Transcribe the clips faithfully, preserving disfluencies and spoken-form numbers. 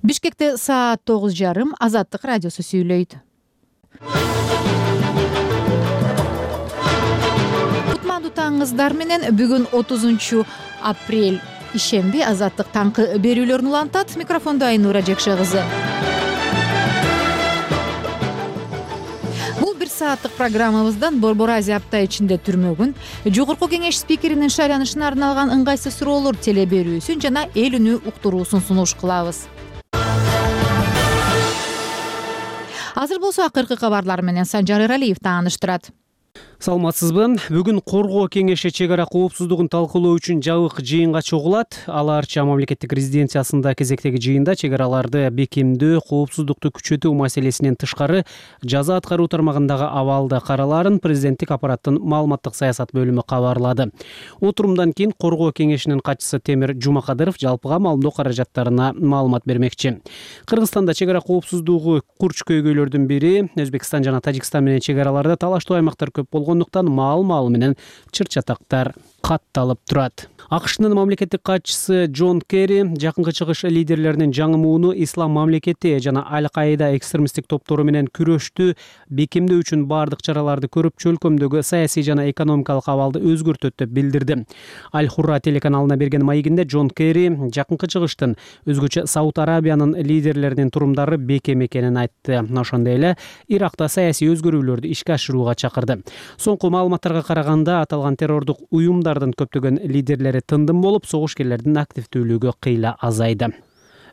Бишкекте саат тогуз жарым. Азаттык радиосу сүйлөйт. Кутмандуу таңыңыздар менен бүгүн отузунчу апрель ишемби. Азаттык таңкы берүүлөрүн улантат. Микрофондо Айнура Жекше кызы. Бул бир сааттык программабыздан Борбор Азия апта ичинде түрмөгүн, Жогорку кеңеш спикеринин шайланышына арналган ыңгайсыз суроолор теле берүүсүн жана эл үнү уктуруусун сунуш кылабыз. Азыр болсо акыркы кабарлар менен Санжар Эралиев тааныштырат. Саламатсызбы? Бүгүн Коргоо кеңеши чек ара коопсуздугун талкуулоо үчүн жабык жыйынга чогулат. Ал Арча мамлекеттик резиденциясында кезектеги жыйында чек араларды бекемдөө, коопсуздукту күчөтүү маселесинен тышкары жаза аткаруу тармагындагы абалды каралаарын президенттик аппараттын маалыматтык саясат бөлүмү кабарлады. Отурумдан кийин Коргоо кеңешинин катчысы Темир Жумакадыров жалпыга маалымдоо каражаттарына маалымат бермекчи. Кыргызстанда чек ара коопсуздугу курч көйгөйлөрдүн бири Өзбекстан жана Тажикстан менен чек араларда талаштуу аймактар көп болгондуктан маал-маал менен чыр-чатактар катталып турат. АКШнын мамлекеттик катчысы Джон Керри жакынкы чыгыш лидерлеринин жаңы мууну Ислам мамлекети жана Аль-Каида экстремисттик топтору менен күрөштү бекемдөө үчүн бардык чараларды көрүп, чөлкөмдөгү саясий жана экономикалык абалды өзгөртөт деп билдирди. Аль-Хурра телеканалына берген маегинде Джон Керри жакынкы чыгыштын өзгөчө Сауд Арабиянын лидерлеринин турумдары бекем экенин айтты. Ошондой эле Иракта саясий өзгөрүүлөрдү ишке ашырууга чакырды. Соңку маалыматтарга караганда аталган террордук уюмдардын көптөгөн лидерлери тындым болуп, согушкерлердин активдүүлүгү кыйла азайды.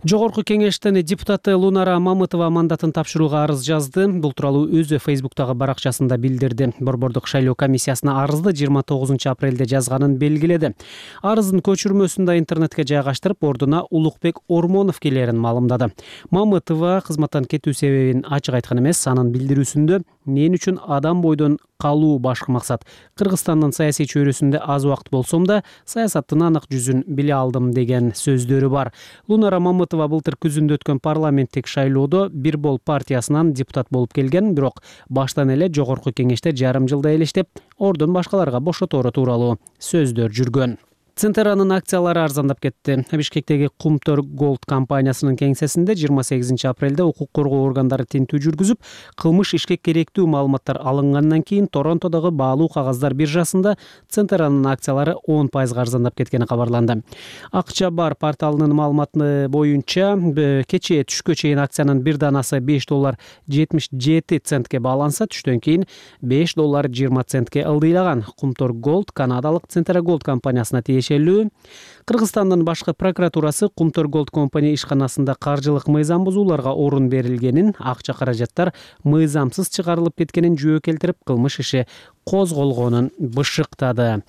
Жогорку кеңештин депутаты Лунара Мамытова мандатын тапшырууга арыз жазды. Бул тууралуу өзү Фейсбуктагы баракчасында билдирди. Борбордук шайлоо комиссиясына арызды жыйырма тогузунчу апрелде жазганын белгиледи. Арыздын көчүрмөсүн да интернетке жайгаштырып, ордуна Улукбек Ормонов келерин маалымдады. Мамытова кызматтан кетүү себебин ачык айткан эмес, анын билдирүүсүндө мен үчүн адам бойдон калуу башкы максат. Кыргызстандын саясий чөйрөсүндө аз убакыт болсом да, саясаттын анык жүзүн биле алдым деген сөздөрү бар. Лунара Мамытова былтыр күзүндө өткөн парламенттик шайлоодо Бир Бол партиясынан депутат болуп келген, бирок баштан эле жогорку кеңеште жарым жылда элештеп, ордун башкаларга бошотору тууралуу сөздөр жүргөн. Центеранын акциялары арзандап кетти. Бишкектеги Кумтор Голд компаниясынын кеңсесинде жыйырма сегизинчи апрелде укук коргоо органдары тинтүү жүргүзүп, кылмыш ишке керектүү маалыматтар алынгандан кийин Торонтодогу баалуу кагаздар биржасында Центеранын акциялары он пайызга арзандап кеткени кабарланды. Акча бар порталынын маалыматы боюнча, кечээ түшкө чейин акциянын бир данасы беш доллар жетимиш жети центке бааланса, түштөн кийин беш доллар жыйырма центке ылдыйлаган. Кумтор Голд канадалык Центера Голд компаниясына тиешелүү. Кыргызстандын башкы прокуратурасы Кумтор Голд компания ишканасында каржылык мыйзам бузууларга орун берилгенин, акча каражаттар мыйзамсыз чыгарылып кеткенин жөө келтирип, кылмыш иши козголгонун бышыктады.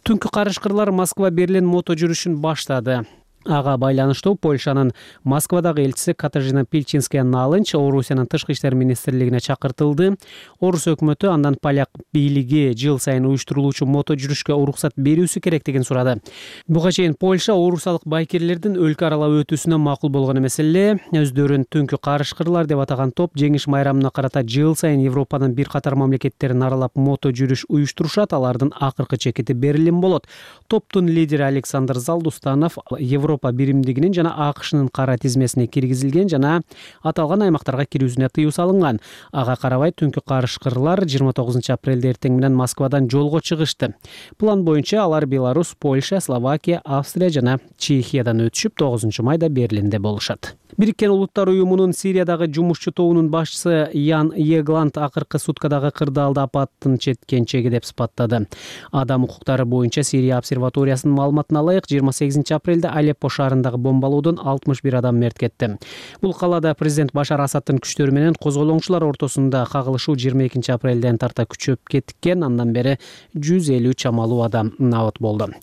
Түнкү карышкырлар Москва-Берлин мото жүрүшүн баштады. Ага байланыштуу Польшанын Москвадагы элчиси Катажина Пильчинская Налынч Орусиянын тышкы иштер министрлигине чакыртылды. Орус өкмөтү андан поляк бийлиги жыл сайын уюштурулуучу мото жүрүшкө уруксат берүүсү керектигин сурады. Буга чейин Польша орусалык байкерлердин өлкө аралап өтүүсүнө макул болгон эмес эле. Өздөрүн түнкү карышкырлар деп атаган топ жеңиш майрамына карата жыл сайын Европанын бир катар мамлекеттерин аралап мото жүрүш уюштурушат. Алардын акыркы чекити Берлин болот. Топтун лидери Александр Залдустанов Европа биримдигинин жана АКШнын кара тизмесине киргизилген жана аталган аймактарга кирүүсүнө тыюу салынган. Ага карабай түнкү карышкырлар жыйырма тогузунчу апрелде эртең менен Москвадан жолго чыгышты. План боюнча алар Беларусь, Польша, Словакия, Австрия жана Чехиядан өтүшүп, тогузунчу майда Берлинде болушат. Бириккен Улуттар уюмунун Сириядагы жумушчу тобунун башчысы Ян Егланд акыркы суткадагы кырдаалды апаттын четкенчеги деп сыпаттады. Адам укуктары боюнча Сирия обсерваториясынын маалыматына ылайык, жыйырма сегизинчи апрелде Алеппо шаарындагы бомбалоодон алтымыш бир адам мерт кетти. Бул калаада президент Башар Асадтын күчтөрү менен козголоңчулар ортосунда кагылышуу жыйырма экинчи апрелден тарта күчөп кеткен. Андан бери жүз элүү чамалуу адам набыт болду.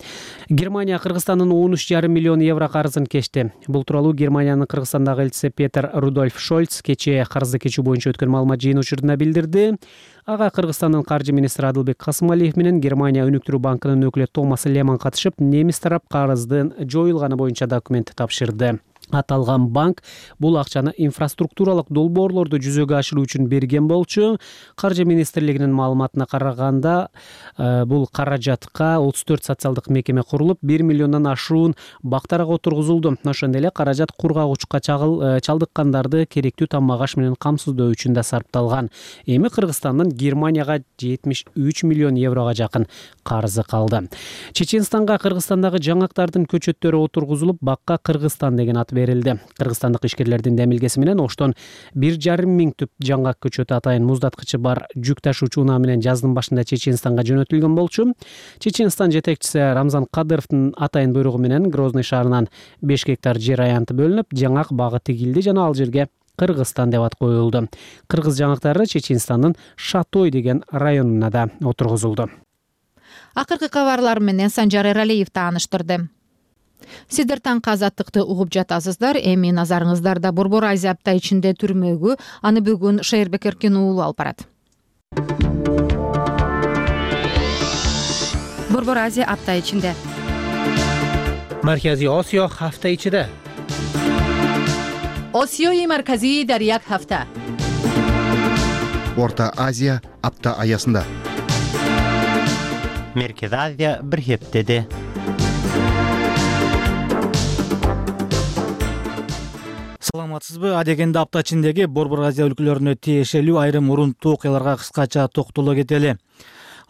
Германия Кыргызстандын он үч жарым миллион евро карызын кечти. Бул тууралуу Германиянын Кыргызстандагы элчиси Петер Рудольф Шольц кечээ карызды кечүү боюнча өткөн маалымат жыйын учурунда билдирди. Ага Кыргызстандын каржы министри Адылбек Касымалиев менен Германия өнүктүрүү банкынын өкүлү Томас Леман катышып, немис тарап карыздын жоюлганы боюнча документ тапшырды. Аталган банк бул акчаны инфраструктуралык долбоорлорду жүзөгө ашыруу үчүн берген болчу. Каржы министрлигинин маалыматына караганда, бул каражатка отуз төрт социалдык мекеме курулуп, бир миллиондон ашуун бактарга отургузулду. Ошондой эле каражат кургагучка чалдыккандарды керектүү тамак аш менен камсыздоо үчүн да сарпталган. Эми Кыргызстандын Германияга жетимиш үч миллион еврого жакын карызы калды. Чеченстанга Кыргызстандагы жаңактардын көчөттөрү отургузулуп, бакка Кыргызстан деген ат берилди. Кыргызстандык ишкерлердин демилгеси менен оштон бир жарым миң түп жаңгак көчөтү атайын муздаткычы бар жүк ташуучу унаа менен жаздын башында Чеченстанга жөнөтүлгөн болчу. Чеченстан жетекчиси Рамзан Кадыровдун атайын буйругу менен Грозный шаарынан беш гектар жер аянты бөлүнүп, жаңак багы тигилди жана ал жерге Кыргызстан деп ат коюлду. Кыргыз жаңактары Чеченстандын Шатой деген районуна да отургузулду. Акыркы кабарлар менен Санжар Эралиев тааныштырды. Сиздер таңкы азаттыкты угуп жатасыздар. Эми назарыңыздарда Борбор Азия апта ичинде түрмөгү. Аны бүгүн Шайырбек Эркин уулу алып барат. Борбор Азия апта ичинде. Маркази Осиё ҳафта ичида. Осиёи марказӣ дар як ҳафта. Орта Азия апта аясында. Меркез Азия бир хептеде. Саламатсызбы? Адегенде апта ичиндеги Борбор Азия өлкөлөрүнө тиешелүү айрым урунттуу окуяларга кыскача токтоло кетели.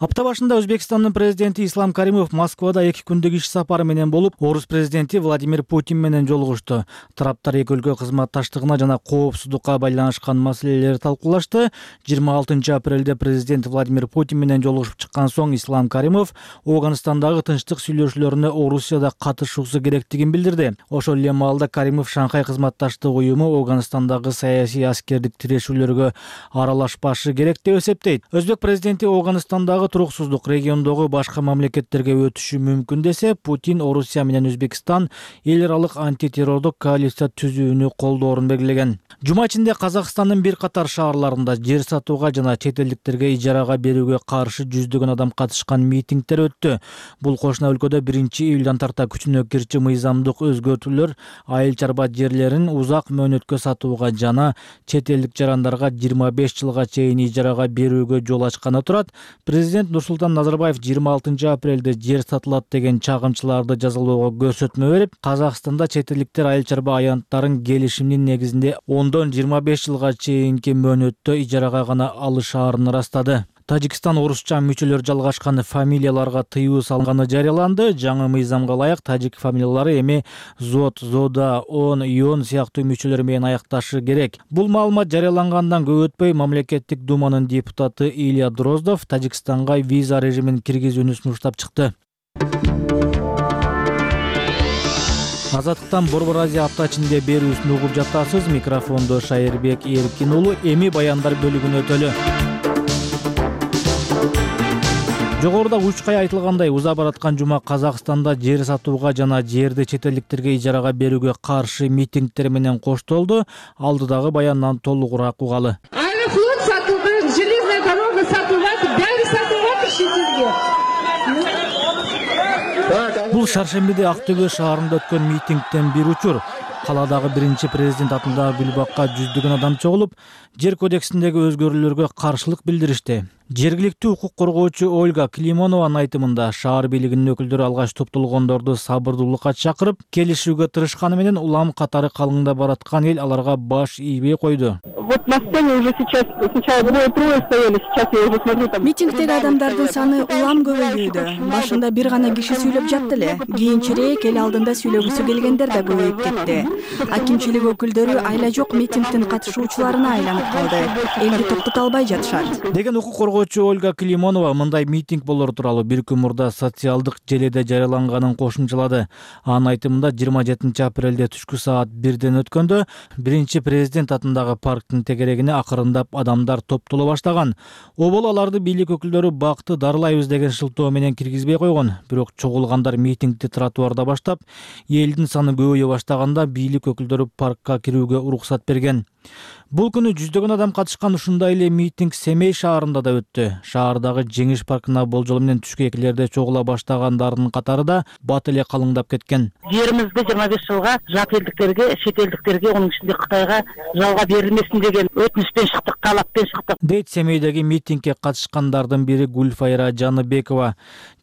Апта башында Өзбекстандын президенти Ислам Каримов Москвада эки күндүк иш сапары менен болуп, Орус президенти Владимир Путин менен жолугушту. Тараптар эки өлкө кызматташтыгына жана коопсуздукка байланышкан маселелерди талкуулашты. жыйырма алтынчы апрелде президент Владимир Путин менен жолугушуп чыккан соң Ислам Каримов Афганистандагы тынчтык сүйлөшүүлөрүнө Орусияда катышуусу керектигин билдирди. Ошол эле маалда Каримов Шанхай кызматташтык уюму Афганистандагы саясий аскердик тирешүүлөргө аралашпашы керек деп эсептейт. Өзбек президенти Афганистандагы туруксуздук региондогу башка мамлекеттерге өтүшү мүмкүн десе, Путин Орусия менен Өзбекстан эл аралык антитеррордук коалиция түзүүнү колдоорун белгилеген. Жума ичинде Казакстандын бир катар шаарларында жер сатууга жана чет элдиктерге ижарага берүүгө каршы жүздөгөн адам катышкан митингдер өттү. Бул кошуна өлкөдө биринчи июлдан тарта күчүнө кирчү мыйзамдык өзгөртүүлөр айыл чарба жерлерин узак мөөнөткө сатууга жана чет элдик жарандарга жыйырма беш жылга чейин ижарага берүүгө жол ачканы турат. Президент Нурсултан Назарбаев жыйырма алтынчы апрелде жер сатылат деген чагымчыларды жазалоого көрсөтмө берип, Казакстанда чет элдиктер айыл чарба аянттарын келишимдин негизинде ондон жыйырма беш жылга чейинки мөөнөттө ижарага гана алышаарын ырастады. Тажикстан орусча мүчөлөр жалгашкан фамилияларга тыюу салганы жарыяланды. Жаңы мыйзамга ылайык тажик фамилиялары эми Зод, Зода, Он, Йон сыяктуу мүчөлөр менен аякташы керек. Бул маалымат жарыялангандан көп өтпөй мамлекеттик думанын депутаты Илья Дроздов Тажикстанга виза режимин киргизүүнү сунуштап чыкты. Азаттыктан Борбор Азия апта ичинде берүүсүн угуп жатасыз. Микрофондо Шайырбек Эркин уулу. Эми баяндар бөлүгүнө өтөлү. Жогоруда учкай айтылгандай, уза бараткан жума Казакстанда жер сатууга жана жерди чет элдиктерге ижарага берүүгө каршы митингдер менен коштолду. Алдыдагы баяндан толугураак угалы. Аэрофлот сатылды, железная дорога сатылат, баары сатылат ишинизге. Бул Шаршембиде Актөбө шаарында өткөн митингден бир учур. Каладагы биринчи президент атындагы Гүлбакка жүздөгөн адам чогулуп, жер кодексиндеги өзгөрүүлөргө каршылык билдиришти. Жергиликтүү укук коргоочу Ольга Климонованын айтымында шаар бийлигинин өкүлдөрү алгач топтолгондорду сабырдуулукка чакырып, келишүүгө тырышканы менен улам катары калыңда бараткан эл аларга баш ийбей койду. Вот на сцене уже сейчас сначала двое-трое стояли, сейчас я уже смотрю там. Митингдеги адамдардын саны улам көбөйүүдө. Башында бир гана киши сүйлөп жатты эле. Кийинчерээк эл алдында сүйлөгүсү келгендер да көбөйүп кетти. Акимчилик өкүлдөрү айла жок митингдин катышуучуларына айланып калды. Элди токтото албай жатышат деген укук коргоочу Ольга Климонова мындай митинг болор тууралуу бир күн мурда социалдык желеде жарыяланганын кошумчалады. Анын айтымында жыйырма жетинчи апрелде түшкү саат бирден өткөндө биринчи президент атындагы парктын парктын тегерегине акырындап адамдар топтоло баштаган. Обол аларды бийлик өкүлдөрү бакты дарылайбыз деген шылтоо менен киргизбей койгон. Бирок чогулгандар митингди тротуарда баштап, элдин саны көбөйө баштаганда бийлик өкүлдөрү паркка кирүүгө уруксат берген. Бул күнү жүздөгөн адам катышкан ушундай эле митинг Семей шаарында да өттү. Шаардагы Жеңиш паркына болжол менен түшкөкилерде чогула баштагандардын катары да бат эле калыңдап кеткен. Жеримизди жыйырма беш жылга жат элдиктерге, чет элдиктерге, анын ичинде Кытайга жалга берилмесин деген өтүнүчтөн чыктык, талаппен чыктык. Дейт Семейдеги митингге катышкандардын бири Гүлфайра Жаныбекова.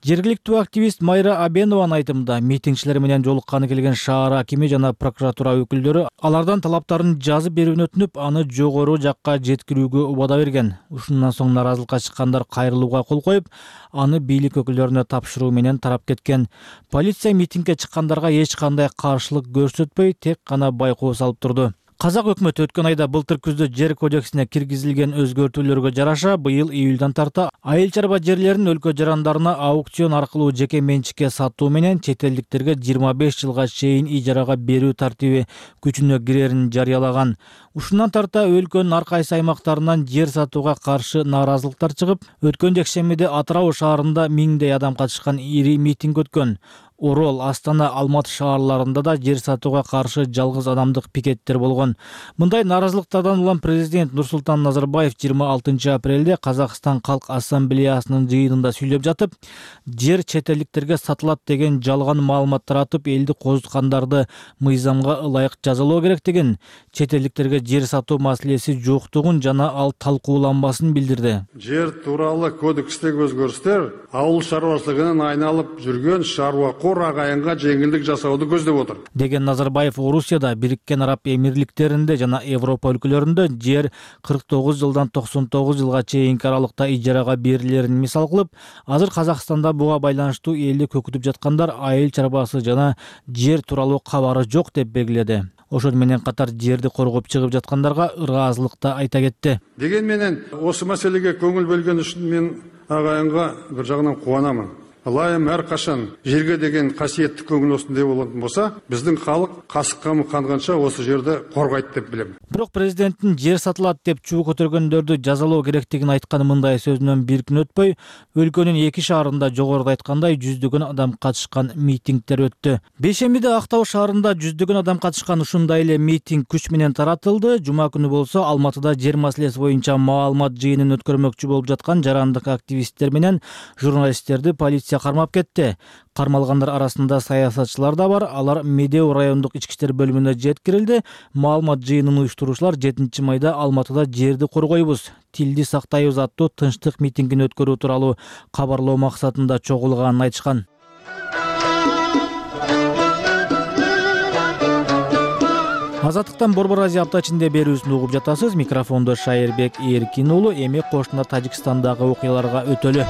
Жергиликтүү активист Майра Абенованын айтымында, митингчилер менен жолукканы келген шаар акими жана прокуратура өкүлдөрү алардан талаптарын жазып берүүнү өтүнүп, аны жогору жакка жеткирүүгө убада берген. Ушундан соң наразылыкка чыккандар кайрылууга кол коюп, аны бийлик өкүлдөрүнө тапшыруу менен тарап кеткен. Полиция митингге чыккандарга эч кандай каршылык көрсөтпөй, тек гана байкоо салып турду. Казак өкмөтү өткөн айда былтыр күздө жер кодексине киргизилген өзгөртүүлөргө жараша быйыл июлдан тарта айыл чарба жерлерин өлкө жарандарына аукцион аркылуу жеке менчикке сатуу менен чет элдиктерге жыйырма беш жылга чейин ижарага берүү тартиби күчүнө кирерин жарыялаган. Ушундан тарта өлкөнүн ар кайсы аймактарынан жер сатууга каршы нааразылыктар чыгып, өткөн жекшембиде Атырау шаарында миңдей адам катышкан ири митинг өткөн. Орол, Астана, Алматы шаарларында да жер сатууга каршы жалгыз адамдык пикеттер болгон. Мындай нааразылыктардан улам президент Нурсултан Назарбаев жыйырма алтынчы апрелде Казакстан Калк Ассамблеясынын жыйынында сүйлөп жатып, жер чет элдиктерге сатылат деген жалган маалымат таратып, элди козуткандарды мыйзамга ылайык жазалоо керек деген, чет элдиктерге жер сатуу маселеси жоктугун жана ал талкууланбасын билдирди. Жер тууралуу кодекстеги өзгөрүштөр ауыл шаруашылыгынан айналып жүргөн шаруа агайынга жеңилдик жасауду көздөп отур деген Назарбаев Орусияда, Бириккен Араб Эмирликтеринде жана Европа өлкөлөрүндө жер кырк тогуз жылдан токсон тогуз жылга чейинки аралыкта ижарага берилерин мисал кылып, азыр Казакстанда буга байланыштуу элди көкүтүп жаткандар айыл чарбасы жана жер тууралуу кабары жок деп белгиледи. Ошол менен катар жерди коргоп чыгып жаткандарга ыраазылык да айта кетти. Деген менен осы маселеге көңүл бөлгөн үчүн мен агайынга бир жагынан кубанамын. Ылайым әр кашан жерге деген касиеттик көңүл осундай болатын болса, биздин халык касыккамы канганча осы жерди коргойт деп билем. Бирок президенттин жер сатылат деп чуу көтөргөндөрдү жазалоо керектигин айткан мындай сөзүнөн бир күн өтпөй, өлкөнүн эки шаарында жогоруда айткандай жүздөгөн адам катышкан митингдер өттү. Бейшембиде Актау шаарында жүздөгөн адам катышкан ушундай эле митинг күч менен таратылды. Жума күнү болсо Алматыда жер маселеси боюнча маалымат жыйынын өткөрмөкчү болуп жаткан жарандык активисттер менен журналисттерди полиция кармап кетти. Кармалгандар арасында саясатчылар да бар. Алар Медеу райондук ички иштер бөлүмүнө жеткирилди. Маалымат жыйынын уюштуруучулар жетинчи майда Алматыда жерди коргойбуз, тилди сактайбыз аттуу тынчтык митингин өткөрүү тууралуу кабарлоо максатында чогулганын айтышкан. Азаттыктан Борбор Азия апта ичинде берүүсүн угуп жатасыз. Микрофондо Шайырбек Эркин уулу. Эми кошуна Тажикстандагы окуяларга өтөлү.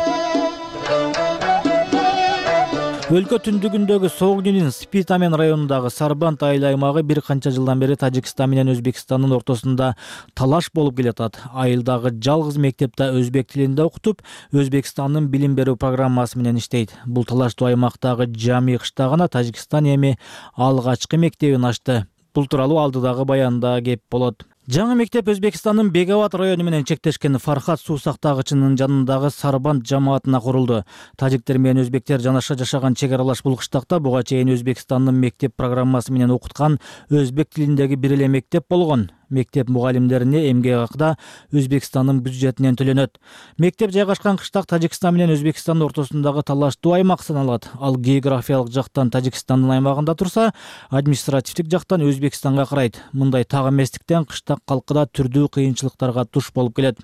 Өлкө түндүгүндөгү Согдинин Спитамен районундагы Сарбанд айыл аймагы бир канча жылдан бери Тажикстан менен Өзбекстандын ортосунда талаш болуп келатат. Айылдагы жалгыз мектепте өзбек тилинде окутуп, Өзбекстандын билим берүү программасы менен иштейт. Бул талаштуу аймактагы Жами кыштагына Тажикстан эми алгачкы мектебин ачты. Бул тууралуу алдыдагы баянда кеп болот. Жаңы мектеп Өзбекстандын Беговат району менен чектешкен Фархат суу сактагычынын жанындагы Сарбанд жамаатына курулду. Тажиктер менен өзбектер жанаша жашаган чек аралаш бул кыштакта буга чейин Өзбекстандын мектеп программасы менен окуткан өзбек тилиндеги бир эле мектеп болгон. Мектеп мугалимдерине эмгек акы да Өзбекстандын бюджетинен төлөнөт. Мектеп жайгашкан кыштак Тажикстан менен Өзбекстандын ортосундагы талаштуу аймак саналат. Ал географиялык жактан Тажикстандын аймагында турса, административдик жактан Өзбекстанга карайт. Мындай так эместиктен кыштак калкыда түрдүү кыйынчылыктарга туш болуп келет.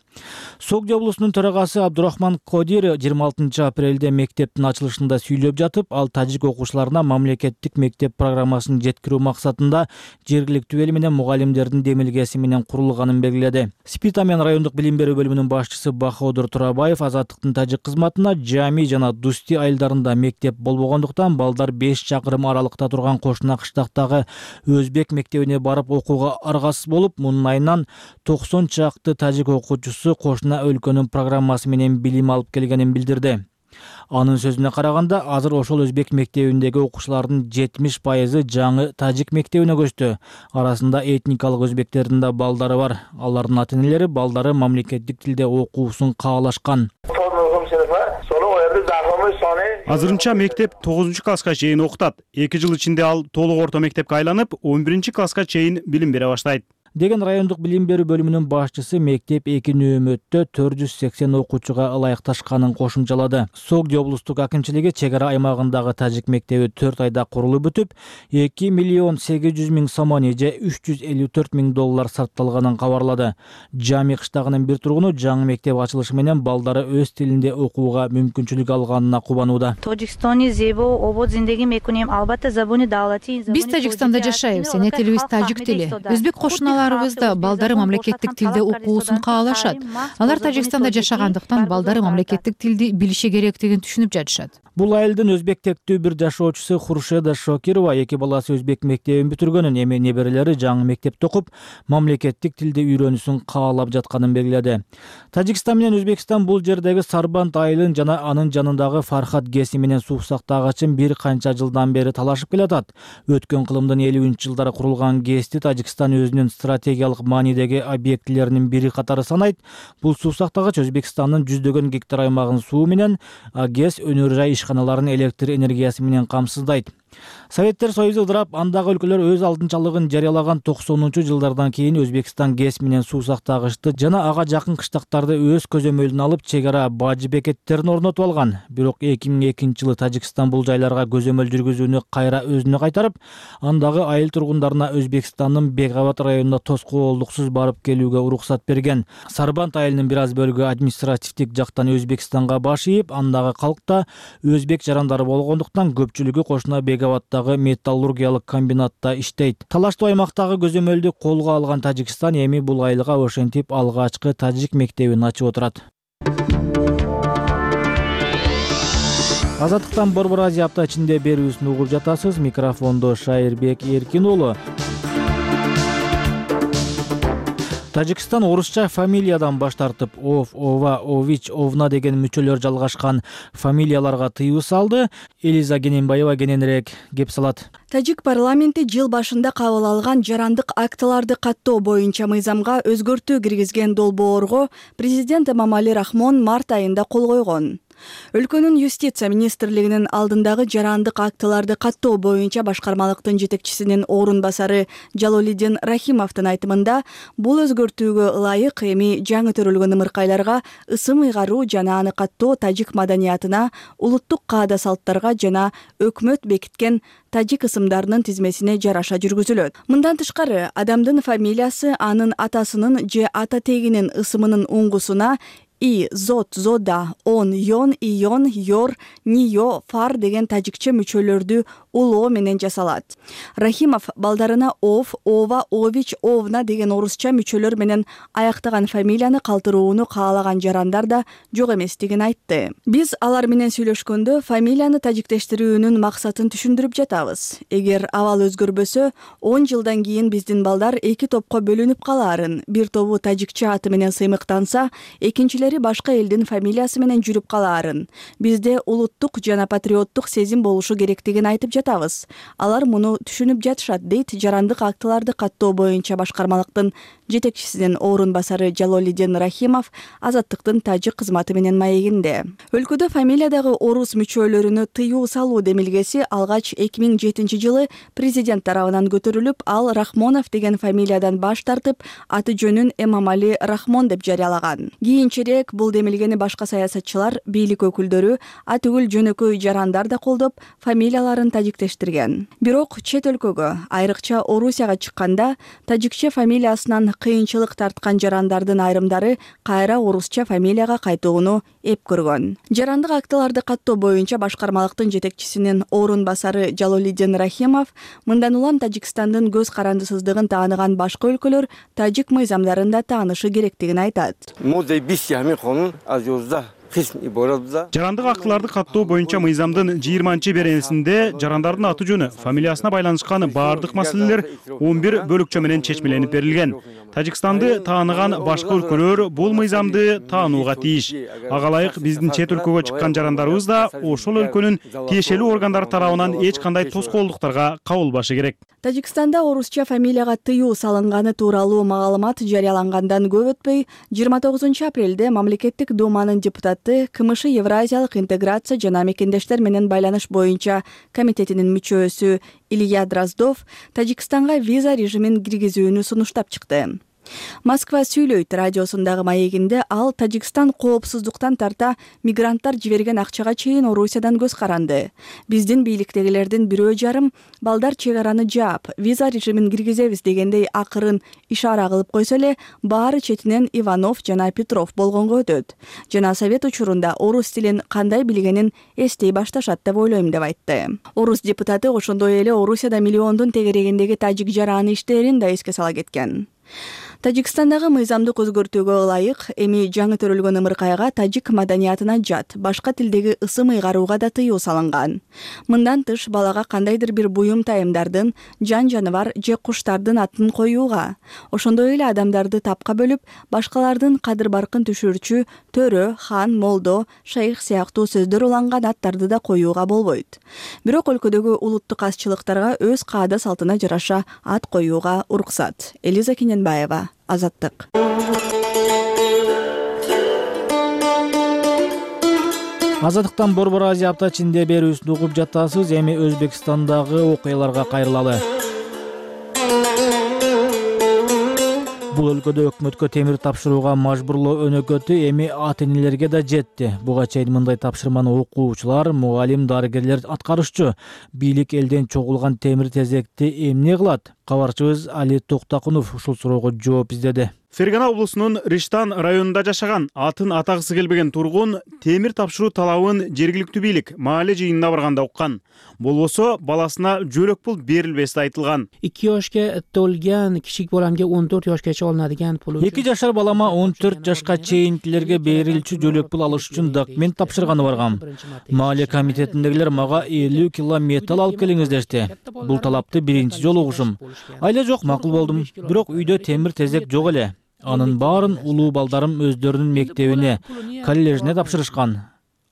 Согди облусунун төрагасы Абдурахман Кодир жыйырма алтынчы апрелде мектептин ачылышында сүйлөп жатып, ал тажик окуучуларына мамлекеттик мектеп программасын жеткирүү максатында жергиликтүү эл менен мугалимдердин демилгеси менен курулганын белгиледи. Спитамен райондук билим берүү бөлүмүнүн башчысы Баходур Турабаев Азаттыктын тажик кызматына Жами жана Дусти айылдарында мектеп болбогондуктан балдар беш чакырым аралыкта турган кошуна кыштактагы өзбек мектебине барып окууга аргасыз болуп, мунун айынан токсон чакты тажик окуучусу кошуна өлкөнүн программасы менен билим алып келгенин билдирди. Анын сөзүнө караганда, азыр ошол өзбек мектебиндеги окуучулардын жетимиш пайызы жаңы тажик мектебине көчтү. Арасында этникалык өзбектердин да балдары бар. Алардын ата-энелери балдары мамлекеттик тилде окуусун каалашкан. Азырынча мектеп тогузунчу класска чейин окутат. эки жыл ичинде ал толук орто мектепке айланып, он биринчи класска чейин билим бере баштайт деген райондук билим берүү бөлүмүнүн башчысы мектеп эки нөөмөттө төрт жүз сексен окуучуга ылайыкташканын кошумчалады. Согди облустук акимчилиги чек ара аймагындагы тажик мектеби төрт айда курулуп бүтүп, эки миллион сегиз жүз миң сомони же үч жүз элүү төрт миң доллар сарпталганын кабарлады. Жами кыштагынын бир тургуну жаңы мектеп ачылышы менен балдары өз тилинде окууга мүмкүнчүлүк алганына кубанууда. Биз Тажикстанда жашайбыз, эне тилибиз тажик тили. Өзбек кошуналарыбыз да балдары мамлекеттик тилде окуусун каалашат. Алар Тажикстанда жашагандыктан балдары мамлекеттик тилди билиши керектигин түшүнүп жатышат. Бул айылдын өзбек тектүү бир жашоочусу Хуршеда Шокирова эки баласы өзбек мектебин бүтүргөнүн, эми неберелери жаңы мектепте окуп, мамлекеттик тилди үйрөнүүсүн каалап жатканын белгиледи. Тажикстан менен Өзбекстан бул жердеги Сарбанд айылын жана анын жанындагы Фархат ГЭСи менен суу сактагычын бир канча жылдан бери талашып келатат. Өткөн кылымдын элүүнчү жылдары курулган ГЭСти Тажикстан өзүнүн стратегиялык маанидеги объектилеринин бири катары санайт. Бул суу сактагач Өзбекстандын жүздөгөн гектар аймагын суу менен, ГЭС өнөр жай ишканаларын электр энергиясы менен камсыздайт. Советтер Союзу ыдырап, андагы өлкөлөр өз алдынчалыгын жарыялаган токсонунчу жылдардан кийин Өзбекстан ГЭС менен суу сактагычты жана ага жакын кыштактарды өз көзөмөлүнө алып, чек ара бажы бекеттерин орнотуп алган. Бирок эки миң экинчи жылы Тажикстан бул жайларга көзөмөл жүргүзүүнү кайра өзүнө кайтарып, андагы айыл тургундарына Өзбекстандын Бегават районуна тоскоолдуксуз барып келүүгө уруксат берген. Сарбанд айылынын бир аз бөлүгү административдик жактан Өзбекстанга баш ийип, андагы калк да өзбек жарандары болгондуктан көпчүлүгү кошуна Бегаваттагы металлургиялык комбинатта иштейт. Талаштуу аймактагы көзөмөлдү колго алган Тажикстан эми бул айылга ошентип алгачкы тажик мектебин ачып отурат. Азаттыктан Борбор Азия апта ичинде берүүсүн угуп жатасыз. Микрофондо Шайырбек Эркин уулу. Тажикстан орусча фамилиядан баш тартып, Ов, Ова, Ович, Овна деген мүчөлөр жалгашкан фамилияларга тыюу салды. Элиза Гененбаева кененирээк кеп салат. Тажик парламенти жыл башында кабыл алган жарандык актыларды каттоо боюнча мыйзамга өзгөртүү киргизген долбоорго президент Эмомали Рахмон март айында кол койгон. Өлкөнүн юстиция министрлигинин алдындагы жарандык актыларды каттоо боюнча башкармалыктын жетекчисинин орун басары Жалолидин Рахимовдун айтымында, бул өзгөртүүгө ылайык эми жаңы төрөлгөн ымыркайларга ысым ыйгаруу жана аны каттоо тажик маданиятына, улуттук каада салттарга жана өкмөт бекиткен тажик ысымдарынын тизмесине жараша жүргүзүлөт. Мындан тышкары, адамдын фамилиясы анын атасынын же ата тегинин ысымынын уңгусуна И, Зот, Зода, Он, Йон, Ион, Йор, Нио, Фар деген тажикче мүчөлөрдү улоо менен жасалат. Рахимов балдарына Ов, Ова, Ович, Овна деген орусча мүчөлөр менен аяктаган фамилияны калтырууну каалаган жарандар да жок эместигин айтты. Биз алар менен сүйлөшкөндө фамилияны тажиктештирүүнүн максатын түшүндүрүп жатабыз. Эгер абал өзгөрбөсө, он жылдан кийин биздин балдар эки топко бөлүнүп калаарын, бир тобу тажикче аты менен сыймыктанса, экинчилери башка элдин фамилиясы менен жүрүп калаарын. Бизде улуттук жана патриоттук сезим болушу керектигин айтып жатабыз. Алар муну түшүнүп жатышат, дейт жарандык актыларды каттоо боюнча башкармалыктын жетекчисинин орун басары Жалолидин Рахимов Азаттыктын тажик кызматы менен маегинде. Өлкөдө фамилиядагы орус мүчөлөрүнө тыюу салуу демилгеси алгач эки миң жетинчи жылы президент тарабынан көтөрүлүп, ал Рахмонов деген фамилиядан баш тартып, аты жөнүн Эмомали Рахмон деп жарыялаган. Кийинчерээк бул демилгени башка саясатчылар, бийлик өкүлдөрү, а түгүл жөнөкөй жарандар да колдоп, фамилияларын тажиктештирген. Бирок чет өлкөгө, айрыкча Орусияга чыкканда, тажикче фамилиясынан кыйынчылык тарткан жарандардын айрымдары кайра орусча фамилияга кайтууну эп көргөн. Жарандык актыларды каттоо боюнча башкармалыктын жетекчисинин орун басары Жалолидин Рахимов мындан улам Тажикстандын көз карандысыздыгын тааныган башка өлкөлөр тажик мыйзамдарында таанышы керектигин айтат. жарандык акыларды каттоо боюнча мыйзамдын жыйырманчы беренесинде жарандардын аты жөнү, фамилиясына байланышкан баардык маселелер он бир бөлүкчө менен чечмеленип берилген. Тажикстанды тааныган башка өлкөлөр бул мыйзамды таанууга тийиш. Ага ылайык биздин чет өлкөгө чыккан жарандарыбыз да ошол өлкөнүн тиешелүү органдары тарабынан эч кандай тоскоолдуктарга кабылбашы керек. Тажикстанда орусча фамилияга тыюу салынганы тууралуу маалымат жарыялангандан көп өтпөй, жыйырма тогузунчу апрелде мамлекеттик думанын депутаты КМШ Евразиялык интеграция жана мекендештер менен байланыш боюнча комитетинин мүчөсү Илья Дроздов Тажикстанга виза режимин киргизүүнү сунуштап чыкты. Москва сүйлөйт радиосундагы маегинде ал Тажикстан коопсуздуктан тарта мигранттар жиберген акчага чейин Орусиядан көз каранды. Биздин бийликтегилердин бирөө жарым балдар чек араны жаап, виза режимин киргизебиз дегендей акырын ишара кылып койсо эле, баары четинен Иванов жана Петров болгонго өтөт. Жана совет учурунда орус тилин кандай билгенин эстей башташат деп ойлойм деп айтты. Орус депутаты ошондой эле Орусияда миллиондун тегерегиндеги тажик жараны иштерин да эске сала кеткен. Тажикстандагы мыйзамдык өзгөртүүгө ылайык эми жаңы төрөлгөн ымыркайга тажик маданиятына жат башка тилдеги ысым ыйгарууга да тыюу салынган. Мындан тыш балага кандайдыр бир буюм тайымдардын, жан жаныбар же куштардын атын коюуга, ошондой эле адамдарды тапка бөлүп, башкалардын кадыр баркын түшүрчү төрө, хан, молдо, шайх сыяктуу сөздөр уланган аттарды да коюуга болбойт. Бирок өлкөдөгү улуттук азчылыктарга өз каада салтына жараша ат коюуга уруксат. Элиза Кененбаева, Азаттык. Азаттыктан Борбор Азия апта ичинде берүүсүн угуп жатасыз. Эми Өзбекстандагы окуяларга кайрылалы. Бул өлкөдө өкмөткө темир тапшырууга мажбурлоо өнөкөтү эми ата-энелерге да жетти. Буга чейин мындай тапшырманы окуучулар, мугалим, дарыгерлер аткарышчу. Бийлик элден чогулган темир тезекти эмне кылат? Кабарчыбыз Али Токтакунов ушул суроого жооп издеди. Фергана облусунун Риштан районунда жашаган атын атагысы келбеген тургун темир тапшыруу талабын жергиликтүү бийлик маале жыйынына барганда уккан. Болбосо баласына жөлөк пул берилбеси айтылган. ikki yoshga to'lgan kichik bolamga o'n to'rt yoshgacha olinadigan pul. эки жашар балама он төрт жашка чейинкилерге берилчү жөлөк пул алыш үчүн документ тапшырганы баргам. Маале комитетиндегилер мага элүү кило металл алып келиңиз дешти. Бул талапты биринчи жолу угушум. Айла жок, макул болдум. Бирок үйдө темир тезек жок эле. Анын баарын улуу балдарым өздөрүнүн мектебине, коллежине тапшырышкан.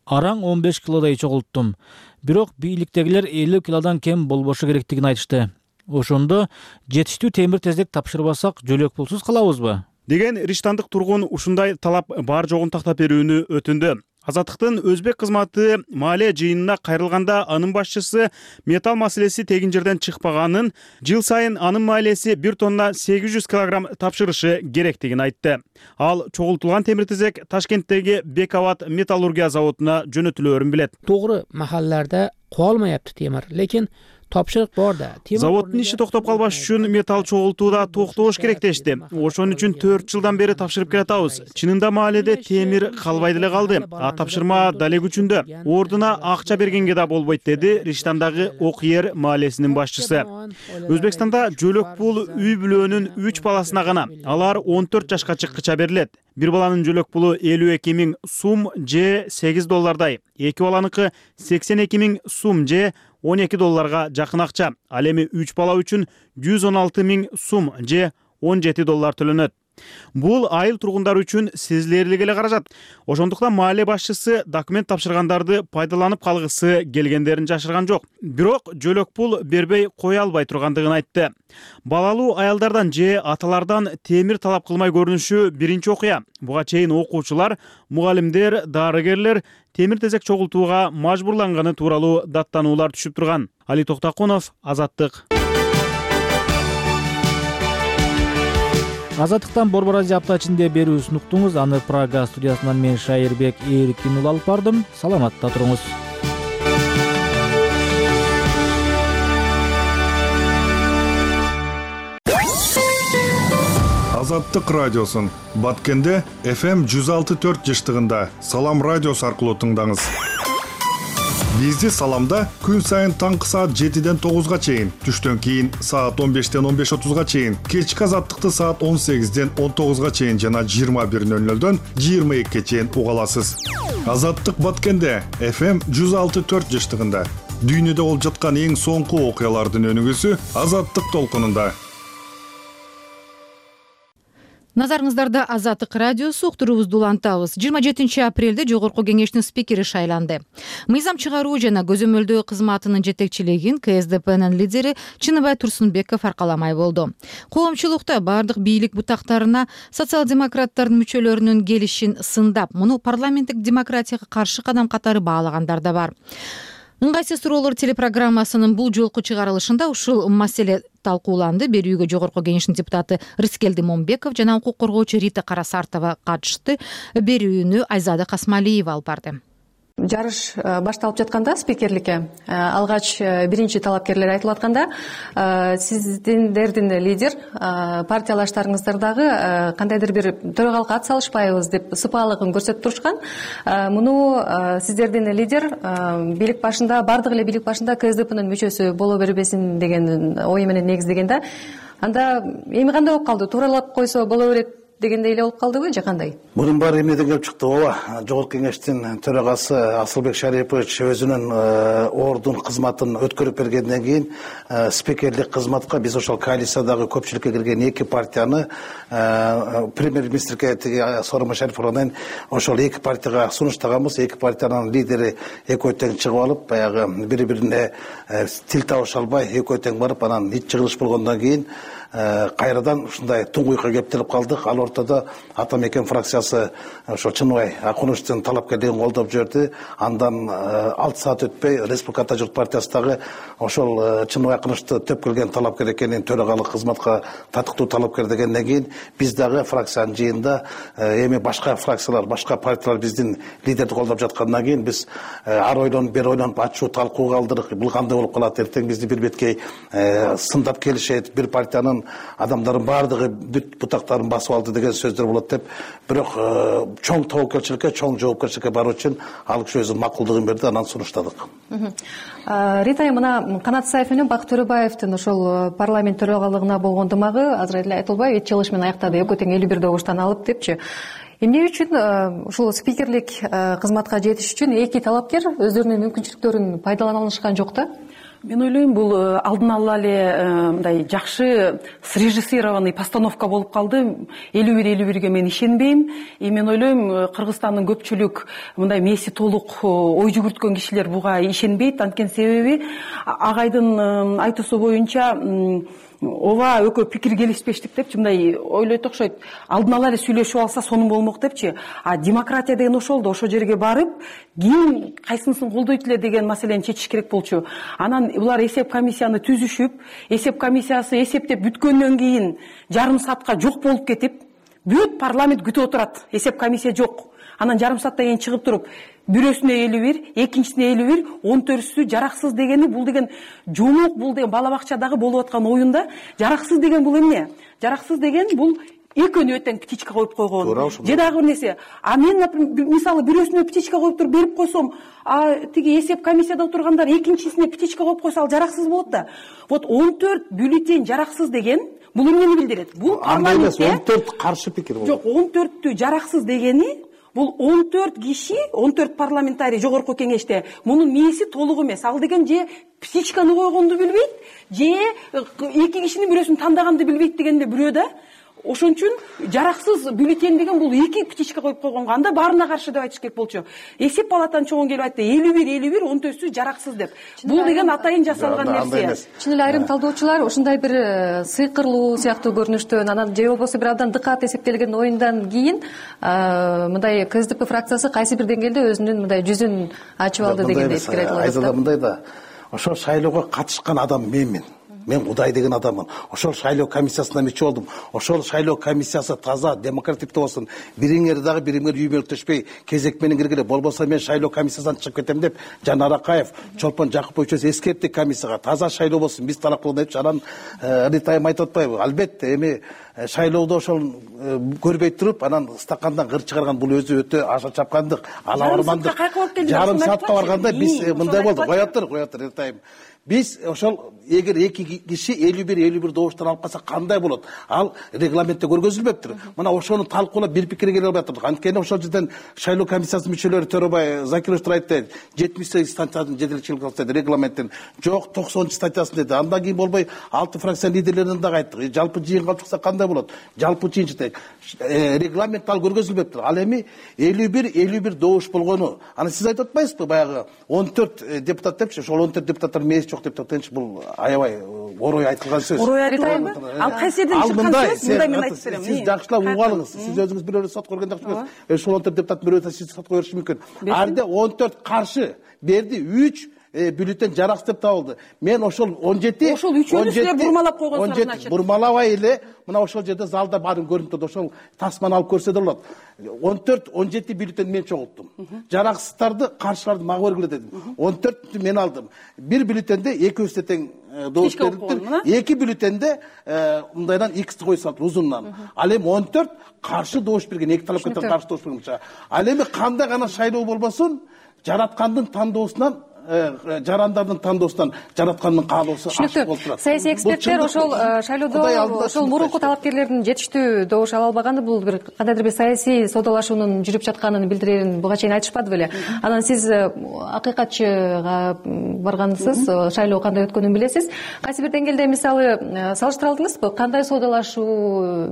Араң он беш килодай чогулттум. Бирок бийликтегилер элүү килодан кем болбошу керектигин айтышты. Ошондо жетиштүү темир тезек тапшырбасак жөлөк пулсуз калабызбы? Деген Риштандык тургун ушундай талап бар жогун тактап берүүнү өтүндү. Азаттыктын өзбек кызматы маале жыйынына кайрылганда анын башчысы металл маселеси тегин жерден чыкпаганын, жыл сайын анын маалеси бир тонна сегиз жүз килограмм тапшырышы керектигин айтты. Ал чогултулган темир тезек Ташкенттеги Бекават металлургия заводуна жөнөтүлөөрүн билет. Тогры махалларда калмаяпты темир, лекин тапшырык бар да. Заводдун иши токтоп калбаш үчүн металл чогултууда токтош керек дешти. Ошон үчүн төрт жылдан бери тапшырып келатабыз. Чынында мааледе темир калбай деле калды. А тапшырма дале күчүндө. Ордуна акча бергенге да болбойт деди Риштандагы Окьер маалесинин башчысы. Өзбекстанда жөлөк пул үй бүлөнүн үч баласына гана. Алар он төрт жашка чыккыча берилет. Бир баланын жөлөк пулу элүү эки миң сум же сегиз доллардай. Эки баланыкы сексен эки миң сум же он эки долларга жакын акча. Ал эми үч бала үчүн жүз он алты миң сум же он жети доллар төлөнөт. Бул айыл тургундар үчүн сезилерлик эле каражат. Ошондуктан маале башчысы документ тапшыргандарды пайдаланып калгысы келгендерин жашырган жок. Бирок жөлөк пул бербей кое албай тургандыгын айтты. Балалуу аялдардан же аталардан темир талап кылмай көрүнүшү биринчи окуя. Буга чейин окуучулар, мугалимдер, дарыгерлер темир тезек чогултууга мажбурланганы тууралуу даттануулар түшүп турган. Али Токтакунов, Азаттык. Азаттыктан Борбор Азия апта ичинде берүүсүн уктуңуз. Аны Прага студиясынан мен Шайырбек Эрикин ул алып бардым. Саламатта туруңуз. Азаттык радиосун Баткенде эф эм жүз алты төрт жыштыгында Салам радиосу аркылуу тыңдаңыз. Бизди Саламда күн сайын таңкы саат жетиден тогузга чейин, түштөн кийин саат он бештен он беш отузга чейин, кечки азаттыкты саат он сегизден он тогузга чейин жана жыйырма бир нөл нөлдөн жыйырма экиге чейин уга аласыз. Азаттык Баткенде эф эм жүз алты төрт жыштыгында. Дүйнөдө болуп жаткан эң соңку окуялардын өнүгүүсү Азаттык толкунунда. Назарыңыздарда Азаттык радиосу, уктуруубузду улантабыз. жыйырма жетинчи апрелде Жогорку кеңештин спикери шайланды. Мыйзам чыгаруу жана көзөмөлдөө кызматынын жетекчилигин ка эс дэ пнын лидери Чыныбай Турсунбеков аркаламай болду. Коомчулукта бардык бийлик бутактарына социал-демократтардын мүчөлөрүнүн келишин сындап, муну парламенттик демократияга каршы кадам катары баалагандар да бар. Ыңгайсыз суроолор телепрограммасынын бул жолку чыгарылышында ушул маселе талкууланды. Берүүгө Жогорку кеңештин депутаты Рыскелди Момбеков жана укук коргоочу Рита Карасартова катышты. Берүүнү Айзада Касмалиева алып барды. Жарыш башталып жатканда спикерликке алгач биринчи талапкерлер айтылып атканда, сиздердин лидер партиялаштарыңыздар дагы кандайдыр бир төрагалыкка ат салышпайбыз деп сыпаалыгын көрсөтүп турушкан. Муну сиздердин лидер бийлик башында, бардык эле бийлик башында ка эс дэ пнын мүчөсү боло бербесин деген ой менен негиздеген да. Анда эми кандай болуп калды? Тууралап койсо боло берет дегендей эле болуп калдыбы же кандай? Мунун баары эмнеден келип чыкты? Ооба, Жогорку кеңештин төрагасы Асылбек Шарипович өзүнүн ордун кызматын өткөрүп бергенден кийин спикерлик кызматка биз ошол коалициядагы көпчүлүккө кирген эки партияны премьер-министрге тиги Сооронбай Шариповдон ошол эки партияга сунуштаганбыз. Эки партиянын лидери экөө тең чыгып алып, баягы бири-бирине тил табыша албай экөө тең барып, анан ич жыгылыш болгондон кийин кайрадан ушундай туңгуйукка кептелип калдык. Ал ортодо Атамекен фракциясы ошо Чыныбай Акуновичтин талапкерлигин колдоп жиберди. Андан алты саат өтпөй Республика Ата журт партиясындагы ошол Чыныбай Акуновичти төп келген талапкер экенин, төрагалык кызматка татыктуу талапкер дегенден кийин биз дагы фракциянын жыйынында эми башка фракциялар, башка партиялар биздин лидерди колдоп жаткандан кийин биз ар ойлонуп, бери ойлонуп ачуу талкууга алдырдык. Бул кандай болуп калат? Эртең бизди бир беткей сындап келишет, бир партиянын адамдардын баардыгы бүт бутактарын басып алды деген сөздөр болот деп. Бирок чоң тобокелчиликке, чоң жоопкерчиликке баруу үчүн ал киши өзүнүн макулдугун берди, анан сунуштадык. Рита, мына Канат Саев менен Бакыт Төрөбаевдин ошол парламент төрагалыгына болгон дымагы азыр эле айтылбай эч чыгылыш менен аяктады. Экөө тең элүү бир добуштан алып депчи. Эмне үчүн ушул спикерлик кызматка жетиш үчүн эки талапкер өздөрүнүн мүмкүнчүлүктөрүн пайдалана алышкан жок да? Мен ойлойм, бул алдын ала эле мындай жакшы срежиссированный постановка болуп калды. элүү бир элүү бирге мен ишенбейм. И мен ойлойм, Кыргызстандын көпчүлүк мындай мээси толук ой жүгүрткөн кишилер буга ишенбейт. Анткени себеби агайдын айтуусу боюнча ооба экөө пикир келишпештик депчи, мындай ойлойт окшойт. Алдын ала эле сүйлөшүп алса сонун болмок депчи. А демократия деген ошол да, ошол жерге барып, ким кайсынысын колдойт эле деген маселени чечиш керек болчу. Анан булар эсеп комиссияны түзүшүп, эсеп комиссиясы эсептеп бүткөндөн кийин жарым саатка жок болуп кетип, бүт парламент күтүп отурат. Эсеп комиссия жок. Анан жарым сааттан кийин чыгып туруп, бирөөсүнө элүү бир, экинчисине элүү бир, он төртүсү жараксыз дегени, бул деген жомок, бул деген бала бакчадагы болуп аткан оюнда жараксыз деген бул эмне? Жараксыз деген бул экөөнү өтең птичка коюп койгон. Же дагы бир нерсе. А мен, мисалы, бирөөсүнө птичка коюп туруп берип койсом, а тиги эсеп комиссияда отургандар экинчисине птичка коюп койсо, ал жараксыз болот да. Вот он төрт бюллетень жараксыз деген бул эмнени билдирет? Бул парламентте он төрт каршы пикир болот. Жок, он төрттү жараксыз дегени бул он төрт киши, он төрт парламентарий Жогорку кеңеште мунун мээси толук эмес. Ал деген же птичканы койгонду билбейт, же эки кишинин бирөөсүн тандаганды билбейт дегенде бирөө да. Ошон үчүн жараксыз бюллетень деген бул эки птичка коюп койгонго, анда баарына каршы деп айтыш керек болчу. Эсеп палатанын чоңун келип айтты, элүү бир элүү бир, он төртүсү жараксыз деп. Бул деген атайын жасалган нерсе. Чын эле айрым талдоочулар ушундай бир сыйкырлуу сыяктуу көрүнүштөн, анан же болбосо бир абдан дыкат эсептелген оюндан кийин мындай ка эс дэ пэ фракциясы кайсы бир деңгээлде өзүнүн мындай жүзүн ачып алды дегендей пикир айтылып атат. Айзада мындай да, ошол шайлоого катышкан адам менмин. Мен Кудай деген адаммын. Ошол шайлоо комиссиясына мүчө болдум. Ошол шайлоо комиссиясы таза, демократиктүү болсун. Бириңер дагы бириңер үймөлтөшпөй, кезек менен киргиле. Болбосо мен шайлоо комиссиясынан чыгып кетем деп Жанар Акаев, Чолпон Жакыпович эскертти комиссияга. Таза шайлоо болсун, биз талап кылган депчи. Анан Рита айым айтып атпайбы? Албетте, эми шайлоодо ошол көрбөй туруп анан стакандан кыр чыгарган бул өзү өтө аша чапкандык, ала бармандык. Жарым саатка барганда биз мындай болду. Кое тур, кое тур, айтайын. Биз ошол эгер эки киши элүү бир элүү бир добуштан алып калса кандай болот? Ал регламентте көргөзүлбөптүр. Мына ошону талкуулап бир пикирге келе албай атат. Анткени ошол жерден шайлоо комиссиясынын мүчөлөрү Төрөбай Закирович айтты, жетимиш сегиз статьясын жетелчилик кылса регламенттин. Жок, токсонунчу статьясын деди. Андан кийин болбой алты фракция лидерлеринен дагы айттык. Жалпы жыйынга чыкса кандай болот? Жалпы жыйынчы регламент ал көргөзүлбөптүр. Ал эми элүү бир элүү бир добуш болгону. Аны сиз айтып атпайсызбы? Баягы он төрт депутат депчи, ошол он төрт депутаттар мээс жок деп токтончу. Бул аябай орой айтылган сөз. Орой айтылганбы? Ал кайсы жерден чыккан сөз? Мындай мен айтып берем. Сиз жакшылап угуп алыңыз. Сиз өзүңүз бирөө сот көргөн жакшы эмес. Ошол он төрт депутат бирөө сиз сотко бериши мүмкүн. Арда он төрт каршы берди, үч бюллетень жараксыз деп табылды. Мен ошол он жети ошол үчөөнү силер бурмалап койгонсуңар, значит. Бурмалабай эле мына ошол жерде залда баарын көрүнүп турат. Ошол тасманы алып көрсө да болот. он төрт он жети бюллетень мен чогулттум. Жараксыздарды, каршыларды мага бергиле дедим. он төрттү мен алдым. Бир бюллетенде экөөбүз тең добуш бериптир. Эки бюллетенде мындайдан иксти кое салып узундан. Ал эми он төрт каршы добуш берген, эки талапкерден каршы добуш берген. Ал эми кандай гана шайлоо болбосун, жараткандын тандоосунан жарандардын тандоосунан жараткандын каалоосу ашык болуп турат. Саясий эксперттер ошол шайлоодо ошол мурунку талапкерлердин жетиштүү добуш ала албаганы бул бир кандайдыр бир саясий соодалашуунун жүрүп жатканын билдирерин буга чейин айтышпады беле. Анан сиз акыйкатчыга баргансыз, шайлоо кандай өткөнүн билесиз. Кайсы бир деңгээлде мисалы салыштыра алдыңызбы? Кандай соодалашуу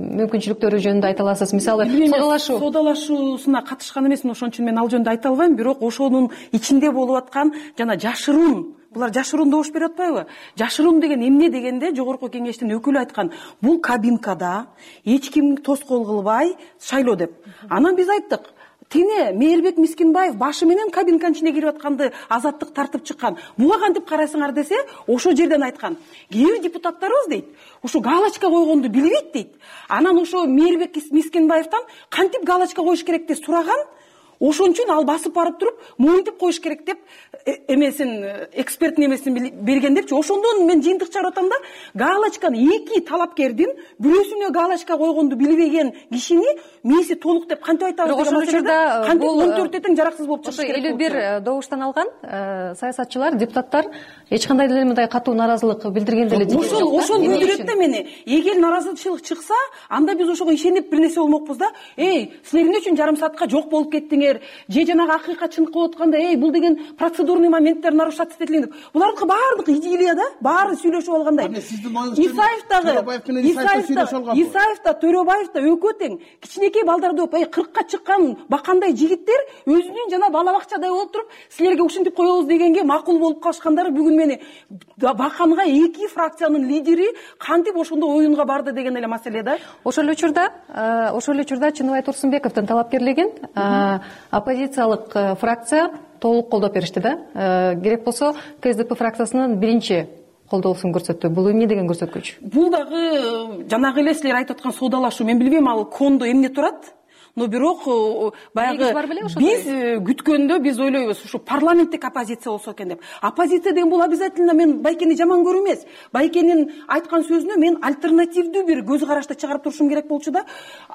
мүмкүнчүлүктөрү жөнүндө айта аласыз? Мисалы соодалашуу соодалашуусуна катышкан эмесмин, ошон үчүн мен ал жөнүндө айта албайм. Бирок ошонун ичинде болуп аткан жана жашыруун, булар жашыруун добуш берип атпайбы? Жашыруун деген эмне дегенде жогорку кеңештин өкүлү айткан, бул кабинкада эч ким тоскоол кылбай шайлоо деп. Анан биз айттык, тине Мээрбек Мискинбаев башы менен кабинканын ичине кирип атканды азаттык тартып чыккан. Буга кантип карайсыңар десе, ошол жерден айткан. Кээ бир депутаттарыбыз дейт, ушу галочка койгонду билбейт дейт. Анан ошо Мээрбек Мискинбаевтан кантип галочка коюш керек деп сураган. Ошон үчүн ал басып барып туруп, моюнтуп коюш керек деп эмесин, эксперттин эмесин берген депчи. Ошондон мен жыйынтык чыгарып атам да, галочканы эки талапкердин бирөөсүнө галочка койгонду билбеген кишини мээси толук деп кантип айтабыз деген маселеде кантип он төртө тең жараксыз болуп чыгыш керек. элүү бир добуштан алган саясатчылар, депутаттар эч кандай деле мындай катуу нааразылык билдирген деле жок. Ошол ошол билдирет да мени. Эгер нааразычылык чыкса, анда биз ошого ишенип бир нерсе болмокпуз да. Эй, силер эмне үчүн жарым саатка жок болуп кеттиңер? Же жанагы акыйкатчылык кылып атканда, эй, бул деген процедурный моменттер нарушаться этилген деп. Булардыкы баардыгы идея да, баары сүйлөшүп алгандай. Исаев дагы, Исаев да, Төрөбаев да өкө тең. Кичинекей балдар деп, эй, кыркка чыккан бакандай жигиттер өзүнүн жана бала бакчадай болуп туруп, силерге ушинтип коебуз дегенге макул болуп калышкандары бүгүн мени баканга эки фракциянын лидери кантип ошондой оюнга барды деген эле маселе да. Ошол учурда, ошол учурда Чыныбай Турсунбековдун талапкерлигин оппозициялык фракция толук колдоп беришти да. Керек болсо КСДП фракциясынын биринчи колдоосун көрсөттү. Бул эмне деген көрсөткүч? Бул дагы жанагы эле силер айтып аткан соодалашуу. Мен билбейм ал кондо эмне турат. Но бирок баягы биз күткөндө биз ойлойбуз, ушу парламенттик оппозиция болсо экен деп. Оппозиция деген бул обязательно мен Байкени жаман көрүм эмес. Байкенин айткан сөзүнө мен альтернативдүү бир көз карашты чыгарып турушум керек болчу да.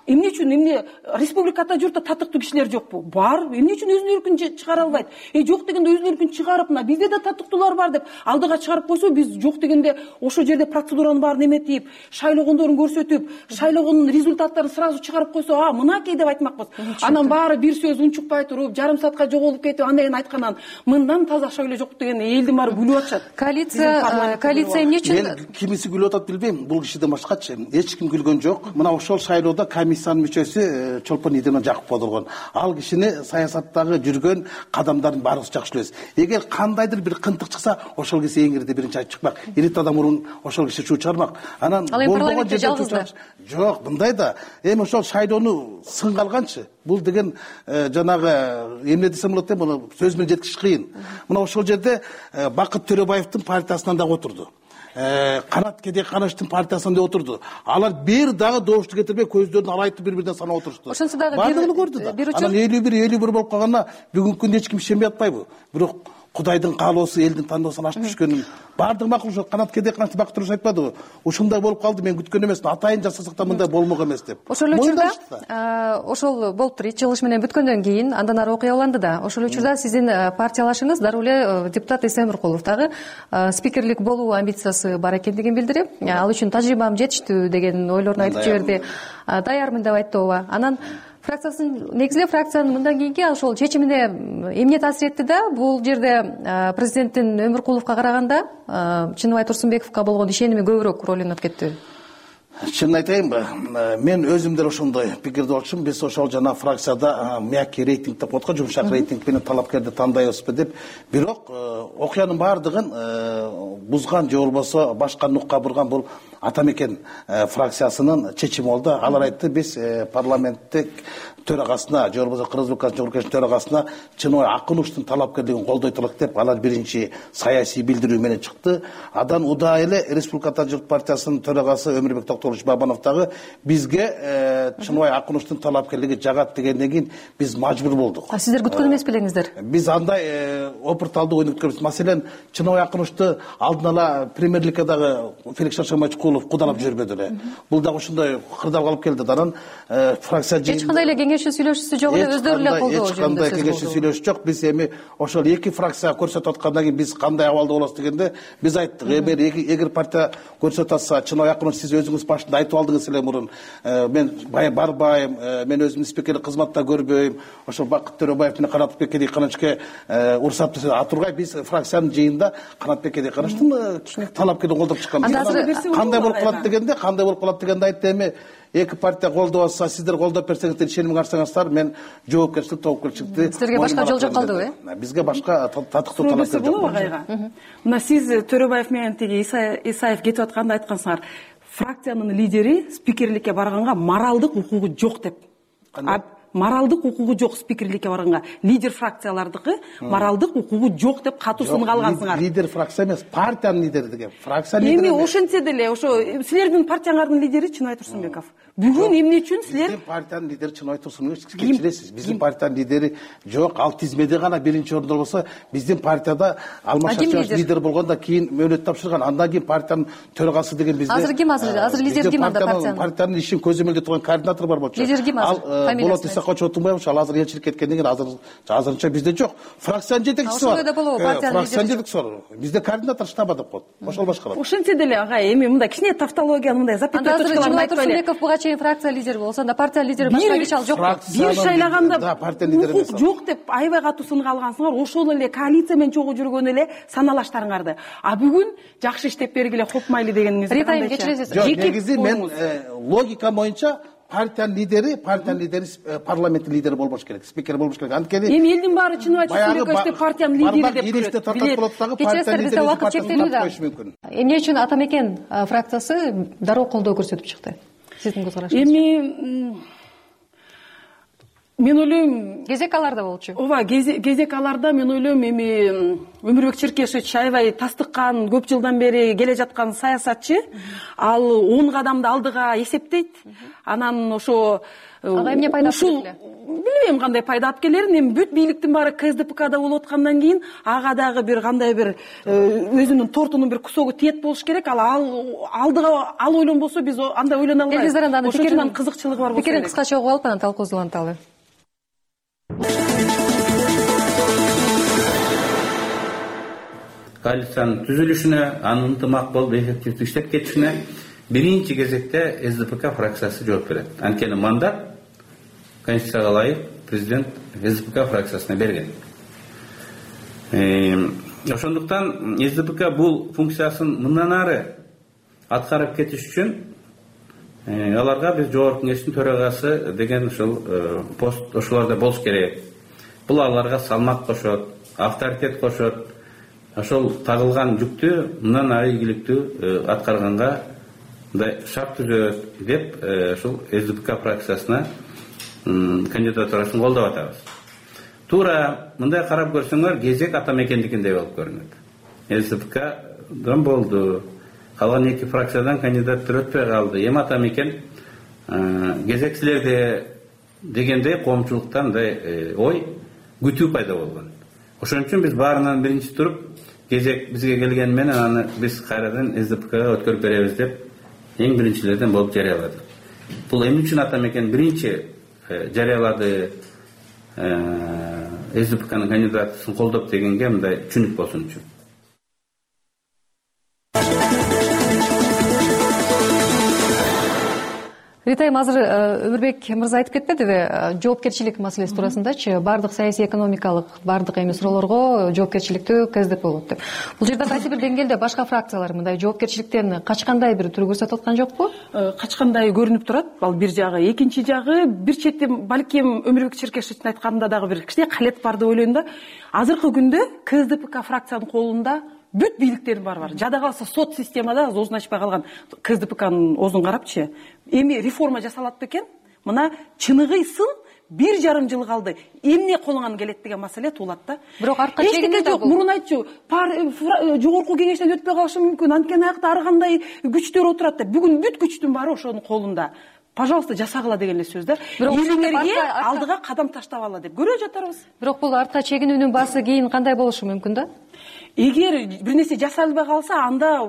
Эмне үчүн эмне республикада журтта татыктуу кишилер жокпу? Бар. Эмне үчүн өзүнүн эркин чыгара албайт? Э жок дегенде өзүнүн эркин чыгарып, мына бизде да татыктуулар бар деп алдыга чыгарып койсо, биз жок дегенде ошол жерде процедуранын баарын эметип, шайлогондорун көрсөтүп, шайлогонун результаттарын сразу чыгарып койсо, а мынакей деп айтмакпыз. Анан баары бир сөз унчукпай туруп, жарым саатка жоголуп кетип, андай айткандан мындан таза шайлоо жок деген элдин баары күлүп атышат. Коалиция, коалиция эмне үчүн? Мен кимиси күлүп атат билбейм, бул кишиден башкачы. Эч ким күлгөн жок. Мына ошол шайлоодо комиссиянын мүчөсү Чолпон Идемон Жакупов болгон. Ал кишини саясаттагы жүргөн кадамдарын баарыбыз жакшы билебиз. Эгер кандайдыр бир кынтык чыкса, ошол киши эң ирде биринчи айтып чыкмак. Ирет адам мурун ошол киши чуу чыгармак. Анан болбогон жерде жок, мындай да. Эми ошол шайлоону сынга алганчы. Бул деген жанагы эмне десем болот деп, муну сөз менен жеткизиш кыйын. Мына ошол жерде Бакыт Төрөбаевдин партиясынан дагы отурду. Канат Кедеккановичтин партиясынан да отурду. Алар бир дагы добушту кетирбей көздөрүн алайтып бири-биринен санап отурушту. Ошонсу дагы баардыгын көрдү да. Анан элүү бир элүү бир болуп калганына бүгүнкү күндө эч ким ишенбей атпайбы? Бирок кудайдын каалоосу элдин тандоосунан ашып түшкөнүн баардыгы макул. Ошо канат кеде канат бак туруш айтпадыбы? Ушундай болуп калды, мен күткөн эмесмин. Атайын жасасак да мындай болмок эмес деп. Ошол эле учурда ошол болуптур. Ич чыгылыш менен бүткөндөн кийин андан ары окуя уланды да. Ошол учурда сиздин партиялашыңыз дароо эле депутат Эсен Өмүркулов дагы спикерлик болуу амбициясы бар экендигин билдирип, ал үчүн тажрыйбам жетиштүү деген ойлорун айтып жиберди. Даярмын деп айтты ооба. Анан фракциясын негизги фракциянын мындан кийинки ошол чечимине эмне таасир этти да? Бул жерде президенттин Өмүркуловго караганда Чыныбай Турсунбековго болгон ишеними көбүрөөк роль ойноп кетти. Чынын айтайынбы, мен өзүм деле ошондой пикирде болчумун. Биз ошол жана фракцияда мягкий рейтинг деп коет го, жумшак рейтинг менен талапкерди тандайбызбы деп. Бирок окуянын баардыгын бузган же болбосо башка нукка бурган бул Атамекен фракциясынын чечими болду. Алар айтты, биз парламенттик төрагасына же болбосо Кыргыз Республикасынын Жогорку Кеңешинин төрагасына Чыныбай Акуновдун талапкерлигин колдойт элек деп алар биринчи саясий билдирүү менен чыкты. Адан удаа эле Республика Журт партиясынын төрагасы Өмүрбек Токтогулович Бабанов дагы бизге Чыныбай Акуновдун талапкерлиги жагат дегенден кийин биз мажбур болдук. А сиздер күткөн эмес белеңиздер? Биз андай опырталдуу ойноп өткөнбүз. Маселен, Чыныбай Акуновду алдын ала премьер-лигге дагы Феликс Шаршамайчукулов кудалап жүрбөдү эле. Бул дагы ушундай кырдаал калып келди. Анан фракция эч кандай эле кеңешчи сүйлөшүүсү жок эле, өздөрү эле колдоо эч кандай кеңешчи сүйлөшүү жок. Биз эми ошол эки фракция көрсөтүп аткандан кийин биз кандай абалда болосуз дегенде биз айттык, эгер партия көрсөтүп атса, Чыныбай Акунов, сиз өзүңүз башында айтып алдыңыз эле мурун, мен барбайм, мен өзүмдүн спикерлик кызматта көрбөйм, ошол Бакыт Төрөбаев менен Канатбек Кенжекановичке уруксат берсе, атургай биз фракциянын жыйынында Канатбек Кенжекановичтин талапкерин колдоп чыкканбыз. Кандай болуп калат дегенде, кандай болуп калат дегенде айтты, эми эки партия колдоп атса, сиздер колдоп берсеңиздер, ишенимиңи арсаңыздар, мен жоопкерчилик тобокерчиликти. Силерге башка жол жок калдыбы, э? Бизге башка татыктуу талаптар жок. Агайга. Мына сиз Төрөбаев менен тиги Исаев кетип атканда айткансыңар, фракциянын лидери спикерликке барганга моралдык укугу жок деп. Моралдык укугу жок спикерликке барганга. Лидер фракциялардыкы моралдык укугу жок деп катуу сынга алгансыңар. Лидер фракция эмес, партиянын лидери деген. Фракция лидери. Эми ошентсе деле, ошо силердин партияңардын лидери Чыныбай Турсунбеков. Бүгүн эмне үчүн силер биздин партиянын лидери Чыныбай Турсунбеков кечиресиз. Биздин партиянын лидери жок, ал тизмеде гана биринчи орунда болсо, биздин партияда Алмаз Шарчыбаев лидер болгондо кийин мөөнөт тапшырган. Андан кийин партиянын төрагасы деген бизде. Азыр ким азыр? Азыр лидер ким анда партиянын? Партиянын ишин көзөмөлдөп турган координатор бар болчу. Лидер ким азыр? Болот Исакович Отунбаев, ал азыр элчилик кеткенден кийин азыр азырынча бизде жок. Фракциянын жетекчиси бар. Ошондой да болобу партиянын лидери? Фракциянын жетекчиси бар. Бизде координатор штаба деп коет. Ошол башкарат. Ошентсе деле агай, эми мындай кичине тавтология, мындай запятая точкаларды айтпайлы. Турсунбеков буга чейин фракция лидери болсо, анда партия лидери башка киши ал жок. Бир шайлаганда укук жок деп аябай катуу сынга алгансыңар. Ошол эле коалиция менен чогуу жүргөн эле саналаштарыңарды. А бүгүн жакшы иштеп бергиле, копмайлы дегениңиз кандай? Кечиресиз. Негизи мен логика боюнча партиянын лидери, партиянын лидери парламенттин лидери болбош керек, спикер болбош керек. Анткени эми элдин баары Чыныбай Турсунбеков деп партиянын лидери деп көрөт. Кечиресиз, бизде убакыт чектелүү да. Эмне үчүн Атамекен фракциясы дароо колдоо көрсөтүп чыкты? Сиздин көз карашыңыз? Эми мен ойлойм, кезек аларда болчу. Ооба, кезек аларда мен ойлойм, эми Өмүрбек Черкешевич аябай тастыккан, көп жылдан бери келе жаткан саясатчы, ал он кадамды алдыга эсептейт. Анан ошо ага эмне пайда алып келет? Билбейм кандай пайда алып келерин. Эми бүт бийликтин баары КСДПКда болуп аткандан кийин ага дагы бир кандай бир өзүнүн тортунун бир кусогу тиет болуш керек. Ал алдыга ал ойлонбосо биз андай ойлоно албайбыз. Элгиздар анда пикиринин кызыкчылыгы бар болсо. Пикирин кыскача угуп алып анан талкуубузду уланталы. Коалициянын түзүлүшүнө, анын ынтымак болуп эффективдүү иштеп кетишине биринчи кезекте СДПК фракциясы жооп берет. Анткени мандат Конституцияга ылайык президент СДПК фракциясына берген. Ошондуктан СДПК бул функциясын мындан ары аткарып кетиш үчүн аларга биз Жогорку Кеңештин төрагасы деген ушул пост ошолордо болуш керек. Бул аларга салмак кошот, авторитет кошот. Ошол тагылган жүктү мындан ары ийгиликтүү аткарганга мындай шарт түзөт деп ушул СДПК фракциясына кандидатурасын колдоп атабыз. Туура мындай карап көрсөңөр, кезек Атамекендикиндей болуп көрүнөт. СДПКдан болду, калган эки фракциядан кандидаттар өтпөй калды. Эми Атамекен кезек силерде дегендей коомчулуктан мындай ой, күтүү пайда болгон. ошон үчүн биз баарынан биринчи туруп кезек бизге келгени менен аны биз кайрадан СДПКга өткөрүп беребиз деп эң биринчилерден болуп жарыяладык. Бул эмне үчүн атам экен биринчи жарыялады СДПКнын кандидатысын колдоп дегенге мындай түшүнүк болсун үчүн. Ритайм, азыр Өмүрбек мырза айтып кетпедиби, жоопкерчилик маселеси туурасындачы, баардык саясий экономикалык баардык эми суроолорго жоопкерчиликтүү КСДП болот деп. Бул жерде кайсы бир деңгээлде башка фракциялар мындай жоопкерчиликтен качкандай бир түр көрсөтүп аткан жокпу? Качкандай көрүнүп турат. Ал бир жагы, экинчи жагы бир четтен балким Өмүрбек Черкешевичтин айтканында дагы бир кичине калет бар деп ойлойм да. Азыркы күндө КСДП фракциянын колунда бүт бийликтердин баары бар. Жада калса сот системада оозун ачпай калган КСДПнын оозун карапчы. Эми реформа жасалат бекен? Мына чыныгыйсын бир жарым жыл калды. Эмне колуңан келет деген маселе туулат да. Бирок артка чегине жок. Мурун айтчу, жогорку кеңештен өтпөй калышы мүмкүн. Анткени аякта ар кандай күчтөр отурат да. Бүгүн бүт күчтүн баары ошонун колунда. Пожалуйста, жасагыла деген эле сөз да. Элиңерге алдыга кадам таштабагыла деп көрө жатарбыз. Бирок бул артка чегинүүнүн баасы кийин кандай болушу мүмкүн да? Эгер бир нерсе жасалбай калса, анда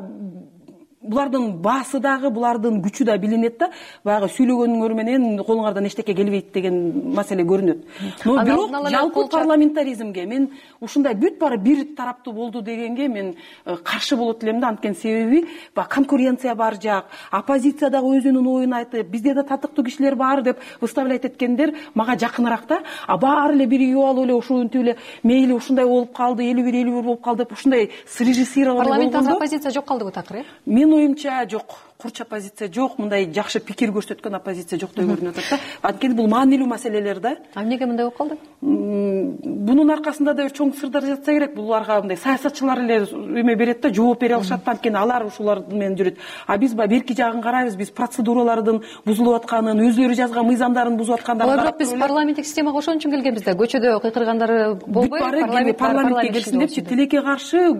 булардын баасы дагы, булардын күчү да билинет да. Баягы сүйлөгөнүңөр менен колуңардан эчтеке келбейт деген маселе көрүнөт. Но бирок жалпы парламентаризмге мен ушундай бүт баары бир тараптуу болду дегенге мен каршы болот элем да. Анткени себеби баягы конкуренция бар жак, оппозиция дагы өзүнүн оюн айтып, бизде да татыктуу кишилер бар деп выставлять эткендер мага жакыныраак да. А баары эле биригип алып эле ушинтип эле мейли ушундай болуп калды, элүү бир элүү бир болуп калды деп ушундай срежиссирование болгондо. Парламентте оппозиция жок калдыбы такыр, э? Менин оюмча жок. Курч оппозиция жок, мындай жакшы пикир көрсөткөн оппозиция жок деп көрүнүп атат да. Анткени бул маанилүү маселелер да. А эмнеге мындай болуп калды? Бунун аркасында да бир чоң сырдар жатса керек. Буларга мындай саясатчылар эле эме берет да, жооп бере алышат да. Анткени алар ушулар менен жүрөт. А биз баягы берки жагын карайбыз, биз процедуралардын бузулуп атканын, өзлөрү жазган мыйзамдарын бузуп аткандарын. Бирок биз парламенттик системага ошон үчүн келгенбиз да. Көчөдө кыйкыргандары болбой, парламентке келсин депчи, тилекке каршы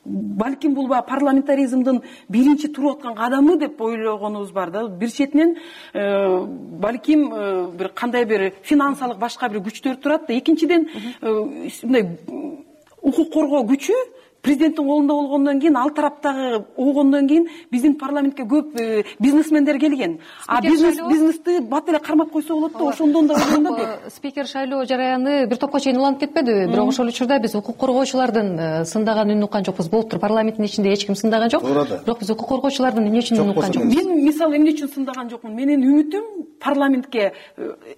балким бул баягы парламентаризмдин биринчи туруп аткан кадамы деп ойлогонубуз бар да. Бир четинен балким бир кандай бир финансылык башка бир күчтөр турат да. Экинчиден мындай укук коргоо күчү президенттин колунда болгондон кийин, ал тараптагы болгондон кийин биздин парламентке көп бизнесмендер келген. А бизнес бизнести бат эле кармап койсо болот да, ошондон да ойлойм да. Спикер шайлоо жараяны бир топко чейин уланып кетпедиби? Бирок ошол учурда биз укук коргоочулардын сындаган үнүн уккан жокпуз. Болуптур, парламенттин ичинде эч ким сындаган жок. Бирок биз укук коргоочулардын эмне үчүн үнүн уккан жокпуз? Мен мисалы эмне үчүн сындаган жокмун? Менин үмүтүм парламентке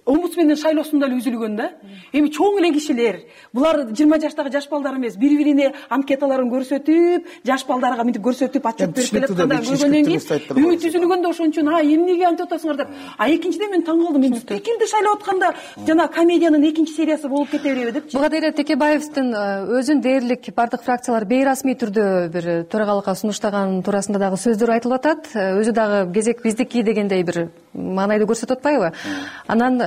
омбудсмендин шайлоосунда эле үзүлгөн да. Эми чоң эле кишилер, булар жыйырма жаштагы жаш балдар эмес, бири-бирине анкеталар көрсөтүп, жаш балдарга мынтип көрсөтүп, ачып берип келатканда көргөндөн кийин үмүт үзүлгөндө ошон үчүн а эмнеге антип атасыңар деп. А экинчиден мен таң калдым, мен спикерди шайлап атканда жана комедиянын экинчи сериясы болуп кете береби депчи. Благодаря Текебаевдин өзүн дээрлик бардык фракциялар бейрасмий түрдө бир төрагалыкка сунуштаган туурасында дагы сөздөр айтылып атат. Өзү дагы кезек биздики дегендей бир маанайды көрсөтүп атпайбы? Анан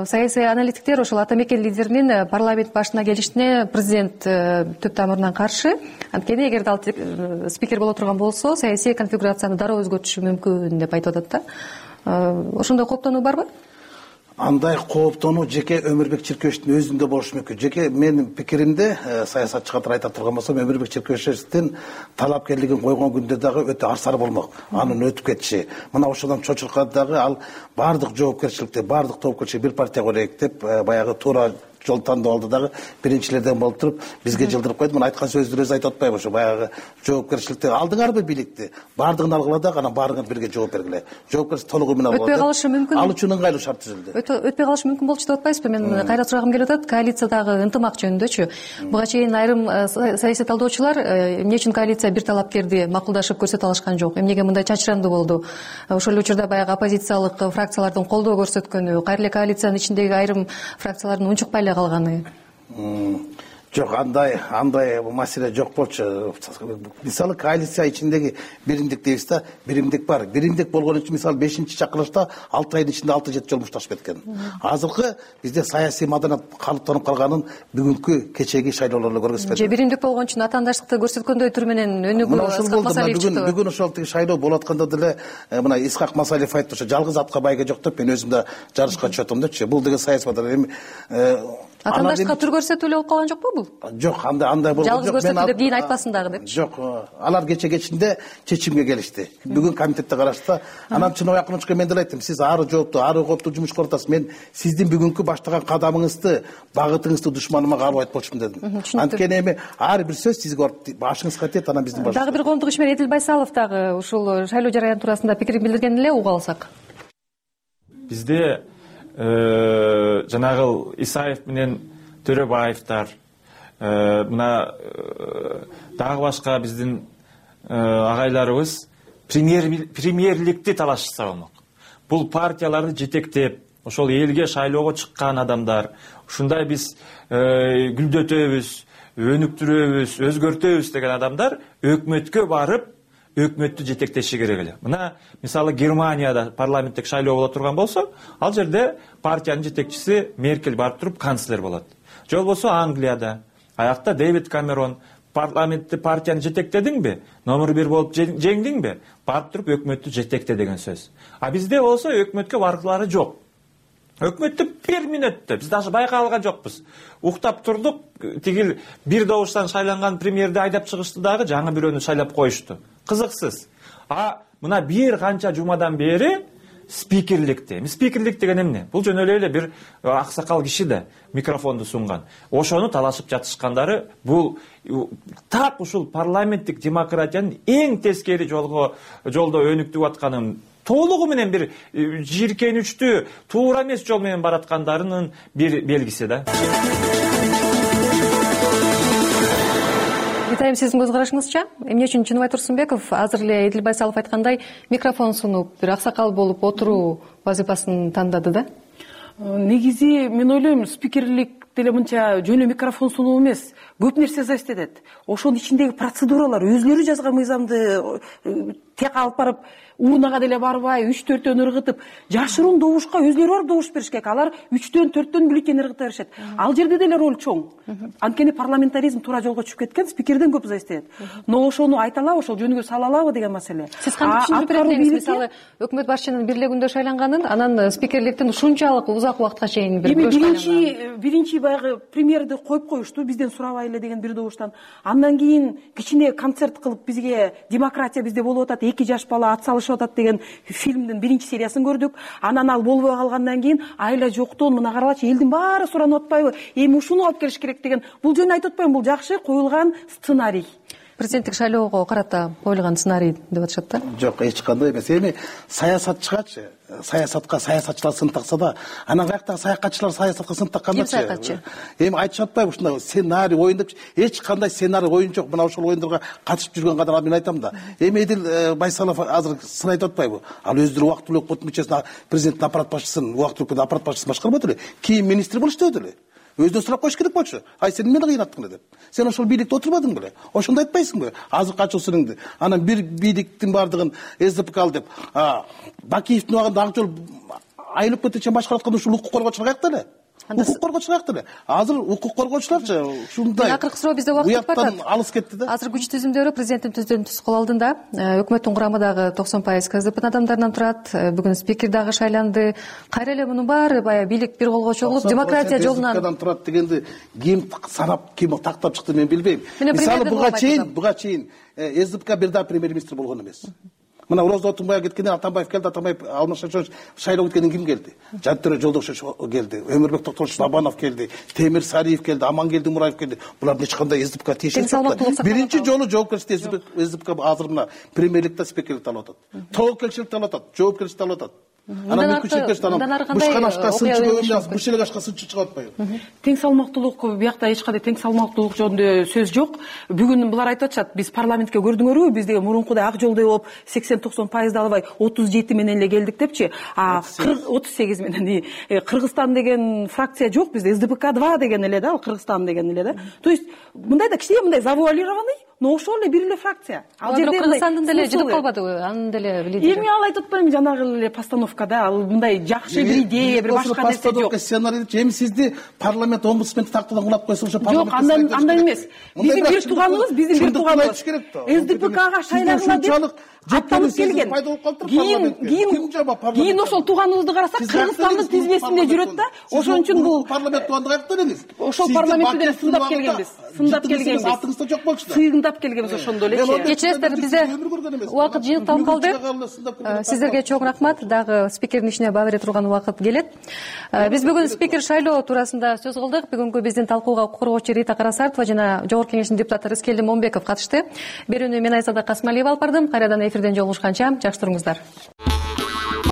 саясий аналитиктер ошол ата мекен лидеринин парламент башына келишине президент түп тамырынан каршы. Анткени эгерде ал спикер боло турган болсо, саясий конфигурацияны дароо өзгөртүшү мүмкүн деп айтып атат да. Ошондой кооптонуу барбы? Андай кооптонуу жеке Өмүрбек Черкешевичтин өзүндө болушу мүмкүн. Жеке менин пикиримде, саясатчы катары айта турган болсом, Өмүрбек Черкешевичтин талапкерлигин койгон күндө дагы өтө арсар болмок. Анын өтүп кетиши. Мына ошондон чочуркада дагы ал бардык жоопкерчиликти, бардык тобкерчиликти бир партияга берейик деп баягы туура жол тандап алды дагы биринчилерден болуп туруп бизге жылдырып койду. Мына айткан сөздөрү өзү айтып атпайбы? Ошо баягы жоопкерчиликти алдыңарбы бийликти, бардыгын алгыла дагы анан баарыңар бирге жооп бергиле. Жоопкерчилик толугу менен алгыла. Өтпөй калышы мүмкүн. Ал үчүн ыңгайлуу шарт түзүлдү. Өтпөй калышы мүмкүн болчу деп атпайсызбы? Мен кайра сурагым келип атат. Коалициядагы ынтымак жөнүндөчү. Буга чейин айрым саясий талдоочулар эмне үчүн коалиция бир талапкерди макулдашып көрсөтө алышкан жок? Эмнеге мындай чачырандуу болду? Ошол учурда баягы оппозициялык фракциялардын колдоо көрсөткөнү, кайра эле коалициянын ичиндеги айрым фракциялардын унчукпай эле калганы. Жок, андай андай маселе жок болчу. Мисалы коалиция ичиндеги биримдик дейбиз да, биримдик бар. Биримдик болгон үчүн мисалы бешинчи чакырылышта алты айдын ичинде алты жети жолу мушташып кеткен. Азыркы бизде саясий маданият калыптанып калганын бүгүнкү кечеги шайлоолор эле көргөзүп же биримдик болгон үчүн атаандаштыкты көрсөткөндөй түр менен өнүгүү Исхак Масалиев чыкты. Бүгүн бүгүн ошол шайлоо болуп атканда деле мына Исхак Масалиев айтты, ошо жалгыз атка байга жок деп, мен өзүм да жарышка чыгып атам депчи. Бул деген саясий маданият эми атаандаштыкка түр көрсөтүү эле болуп калган жокпу бул? ушул? Жок, андай андай болгон жок. Жалгыз көрсөттү деп кийин айтпасын дагы деп. Жок, алар кече кечинде чечимге келишти. Бүгүн комитетте карашты. Анан чын окунучка мен деле айттым, сиз ары жооптуу, ары кооптуу жумуш кылып атасыз. Мен сиздин бүгүнкү баштаган кадамыңызды, багытыңызды душманыма калып айтып болчумун дедим. Анткени эми ар бир сөз сизге башыңызга тиет, анан биздин башыбыз. Дагы бир коомдук ишмер Эдил Байсалов дагы ушул шайлоо жараяны туурасында пикирин билдирген эле, угуп алсак. Бизде жанагы Исаев менен Төрөбаевдар, мына дагы башка биздин агайларыбыз премьерликти талашса болмок. Бул партияларды жетектеп, ошол элге шайлоого чыккан адамдар, ушундай биз гүлдөтөбүз, өнүктүрөбүз, өзгөртөбүз деген адамдар өкмөткө барып, өкмөттү жетектеши керек эле. Мына мисалы Германияда парламенттик шайлоо боло турган болсо, ал жерде партиянын жетекчиси Меркель барып туруп канцлер болот. Же болбосо Англияда, аякта Дэвид Камерон парламентти партияны жетектедиңби, номер бир болуп жеңдиңби, барып туруп өкмөттү жетекте деген сөз. А бизде болсо өкмөткө баргылары жок. Өкмөттү бир мүнөттө биз даже байкай алган жокпуз. Уктап турдук, тигил бир добуштан шайланган премьерди айдап чыгышты дагы жаңы бирөөнү шайлап коюшту. Кызыксыз. А мына бир канча жумадан бери спикерликти. Спикерлик деген эмне? Бул жөн эле бир аксакал киши да микрофонду сунган. Ошону талашып жатышкандары бул так ушул парламенттик демократиянын эң тескери жолго жолдо өнүктүп атканын толугу менен бир жийиркеничтүү, туура эмес жол менен бараткандарынын бир белгиси да. Итайым, сиздин көз карашыңызча, эмне үчүн Чыныбай Турсунбеков азыр эле Эдил Байсалов айткандай микрофон сунуп, бир аксакал болуп отуруу вазифасын тандады да? Негизи мен ойлойм, спикерлик деле мынча жөн эле микрофон сунуу эмес, көп нерсе зависит этет. Ошонун ичиндеги процедуралар, өзлөрү жазган мыйзамды тек алып барып урнага деле барбай, үч төрттөн ыргытып, жашыруун добушка өзлөрү барып добуш бериш керек. Алар үчтөн төрттөн бюллетень ыргыта беришет. Ал жерде деле роль чоң. Анткени парламентаризм туура жолго түшүп кеткен, спикерден көп зависит этет. Но ошону айта алабы, ошол жөнгө сала алабы деген маселе. Сиз кантип түшүндүрүп бересиз? Мисалы, өкмөт башчынын бирлигинде шайланганын, анан спикерликтин ушунчалык узак убакытка чейин бир көч шайланган. Биринчи биринчи баягы премьерди коюп коюшту, бизден сурабай эле деген бир добуштан. Андан кийин кичине концерт кылып бизге демократия бизде болуп атат, эки жаш бала ат салышып атат деген фильмдин биринчи сериясын көрдүк. Анан ал болбой калгандан кийин айла жоктон мына каралачы, элдин баары суранып атпайбы, эми ушуну алып келиш керек деген. Бул жөн айтып атпайм, бул жакшы коюлган сценарий. Президенттик шайлоого карата коюлган сценарий деп атышат да? Жок, эч кандай эмес. Эми саясатчыгачы, саясатка саясатчылар сын такса да, анан каяктагы саякатчылар саясатка сын таккандачы. Ким саякатчы? Эми айтышып атпайбы ушундай сценарий оюн деп? Эч кандай сценарий оюн жок. Мына ошол оюндарга катышып жүргөн кадar мен айтам да. Эми Эдил Байсалов азыр сын айтып атпайбы? Ал өздөрү убактылуу өкмөт мүчөсүн, президенттин аппарат башчысын, убактылуу аппарат башчысын башкарбады эле. Кийин министр болушту эле. Өзүнөн сурап коюш керек болчу. Ай, сен эмне кыйнаттың деп. Сен ошол бийликте отурбадың беле? Ошондо айтпайсыңбы? Азыр качуу сырыңды. Анан бир бийликтин бардыгын СДПК ал деп, Бакиевдин убагында ак жол айылып кетечи башкарып атканда ушул укук коргоочулар каякта эле? Укук коргоочулар каякта эле? Азыр укук коргоочуларчы ушундай. Акыркы суроо бизде убакыт өтүп атат. Алыс кетти да. Азыр күч түзүмдөрү президенттин түздөн түз кол алдында. Өкмөттүн курамы дагы токсон пайыз КСДПнын адамдарынан турат. Бүгүн спикер дагы шайланды. Кайра эле мунун баары баягы бийлик бир колго чогулуп, демократия жолунан КСДПдан турат дегенди ким санап, ким тактап чыкты мен билбейм. Мисалы буга чейин, буга чейин СДПК бир да премьер-министр болгон эмес. Мына Роза Отунбай кеткенден Атамбаев келди, Атамбаев Алмашевич шайлоо кеткенден ким келди? Жантөре Жолдошевич келди, Өмүрбек Токтолович Бабанов келди, Темир Сариев келди, Амангелди Мураев келди. Булар эч кандай СДПК тиешеси жок. Биринчи жолу жоопкерчиликти СДПК азыр мына премьерликте спикерликти алып атат. Тоокелчиликти алып атат, жоопкерчиликти алып атат. Анан бушканашка сынчы бушелегашка сынчы чыгып атпайбы? Тең салмактуулук, биякта эч кандай тең салмактуулук жөнүндө сөз жок. Бүгүн булар айтып атышат, биз парламентке көрдүңөрбү, биз деген мурункудай ак жолдой болуп сексен токсон пайызды албай отуз жети менен эле келдик депчи. А отуз сегиз менен Кыргызстан деген фракция жок бизде, СДПК два деген эле да, ал Кыргызстан деген эле да. То есть мындай да кичине мындай завуалированный, но ошол эле бир эле фракция. Ал жерде Кыргызстандын деле жытып калбадыбы? Анын деле лидери. Эми ал айтып атпаймынбы, жанагы эле постановкада ал мындай жакшы бир идея, бир башка нерсе жок. Сценарий эми сизди парламент омбудсменди тактадан кулап койсо ошо парламент. Жок, андан андан эмес. Биздин бир тууганыбыз, биздин бир тууганыбыз СДПКга шайлагыла деп аттанып келген. Кийин кийин кийин ошол тууганыбызды карасак, Кыргызстандын тизмесинде жүрөт да. Ошон үчүн бул парламент тууганда каяктан элеңиз? Ошол парламентте сындап келгенбиз. Сындап келгенбиз. Атыңызда жок болчу да. Сыйындап келгенбиз ошондо элечи. Кечиресиздер, бизде убакыт жыйынталып калды. Сиздерге чоң рахмат. Дагы спикердин ишине баа бере турган убакыт келет. Биз бүгүн спикер шайлоо туурасында сөз кылдык. Бүгүнкү биздин талкууга укук коргоочу Рита Карасартова жана Жогорку Кеңештин депутаты Рыскелди Момбеков катышты. Берүүнү мен Айзада Касмалиева алып бардым. Кайрадан эфирден жолугушканча жакшы туруңуздар.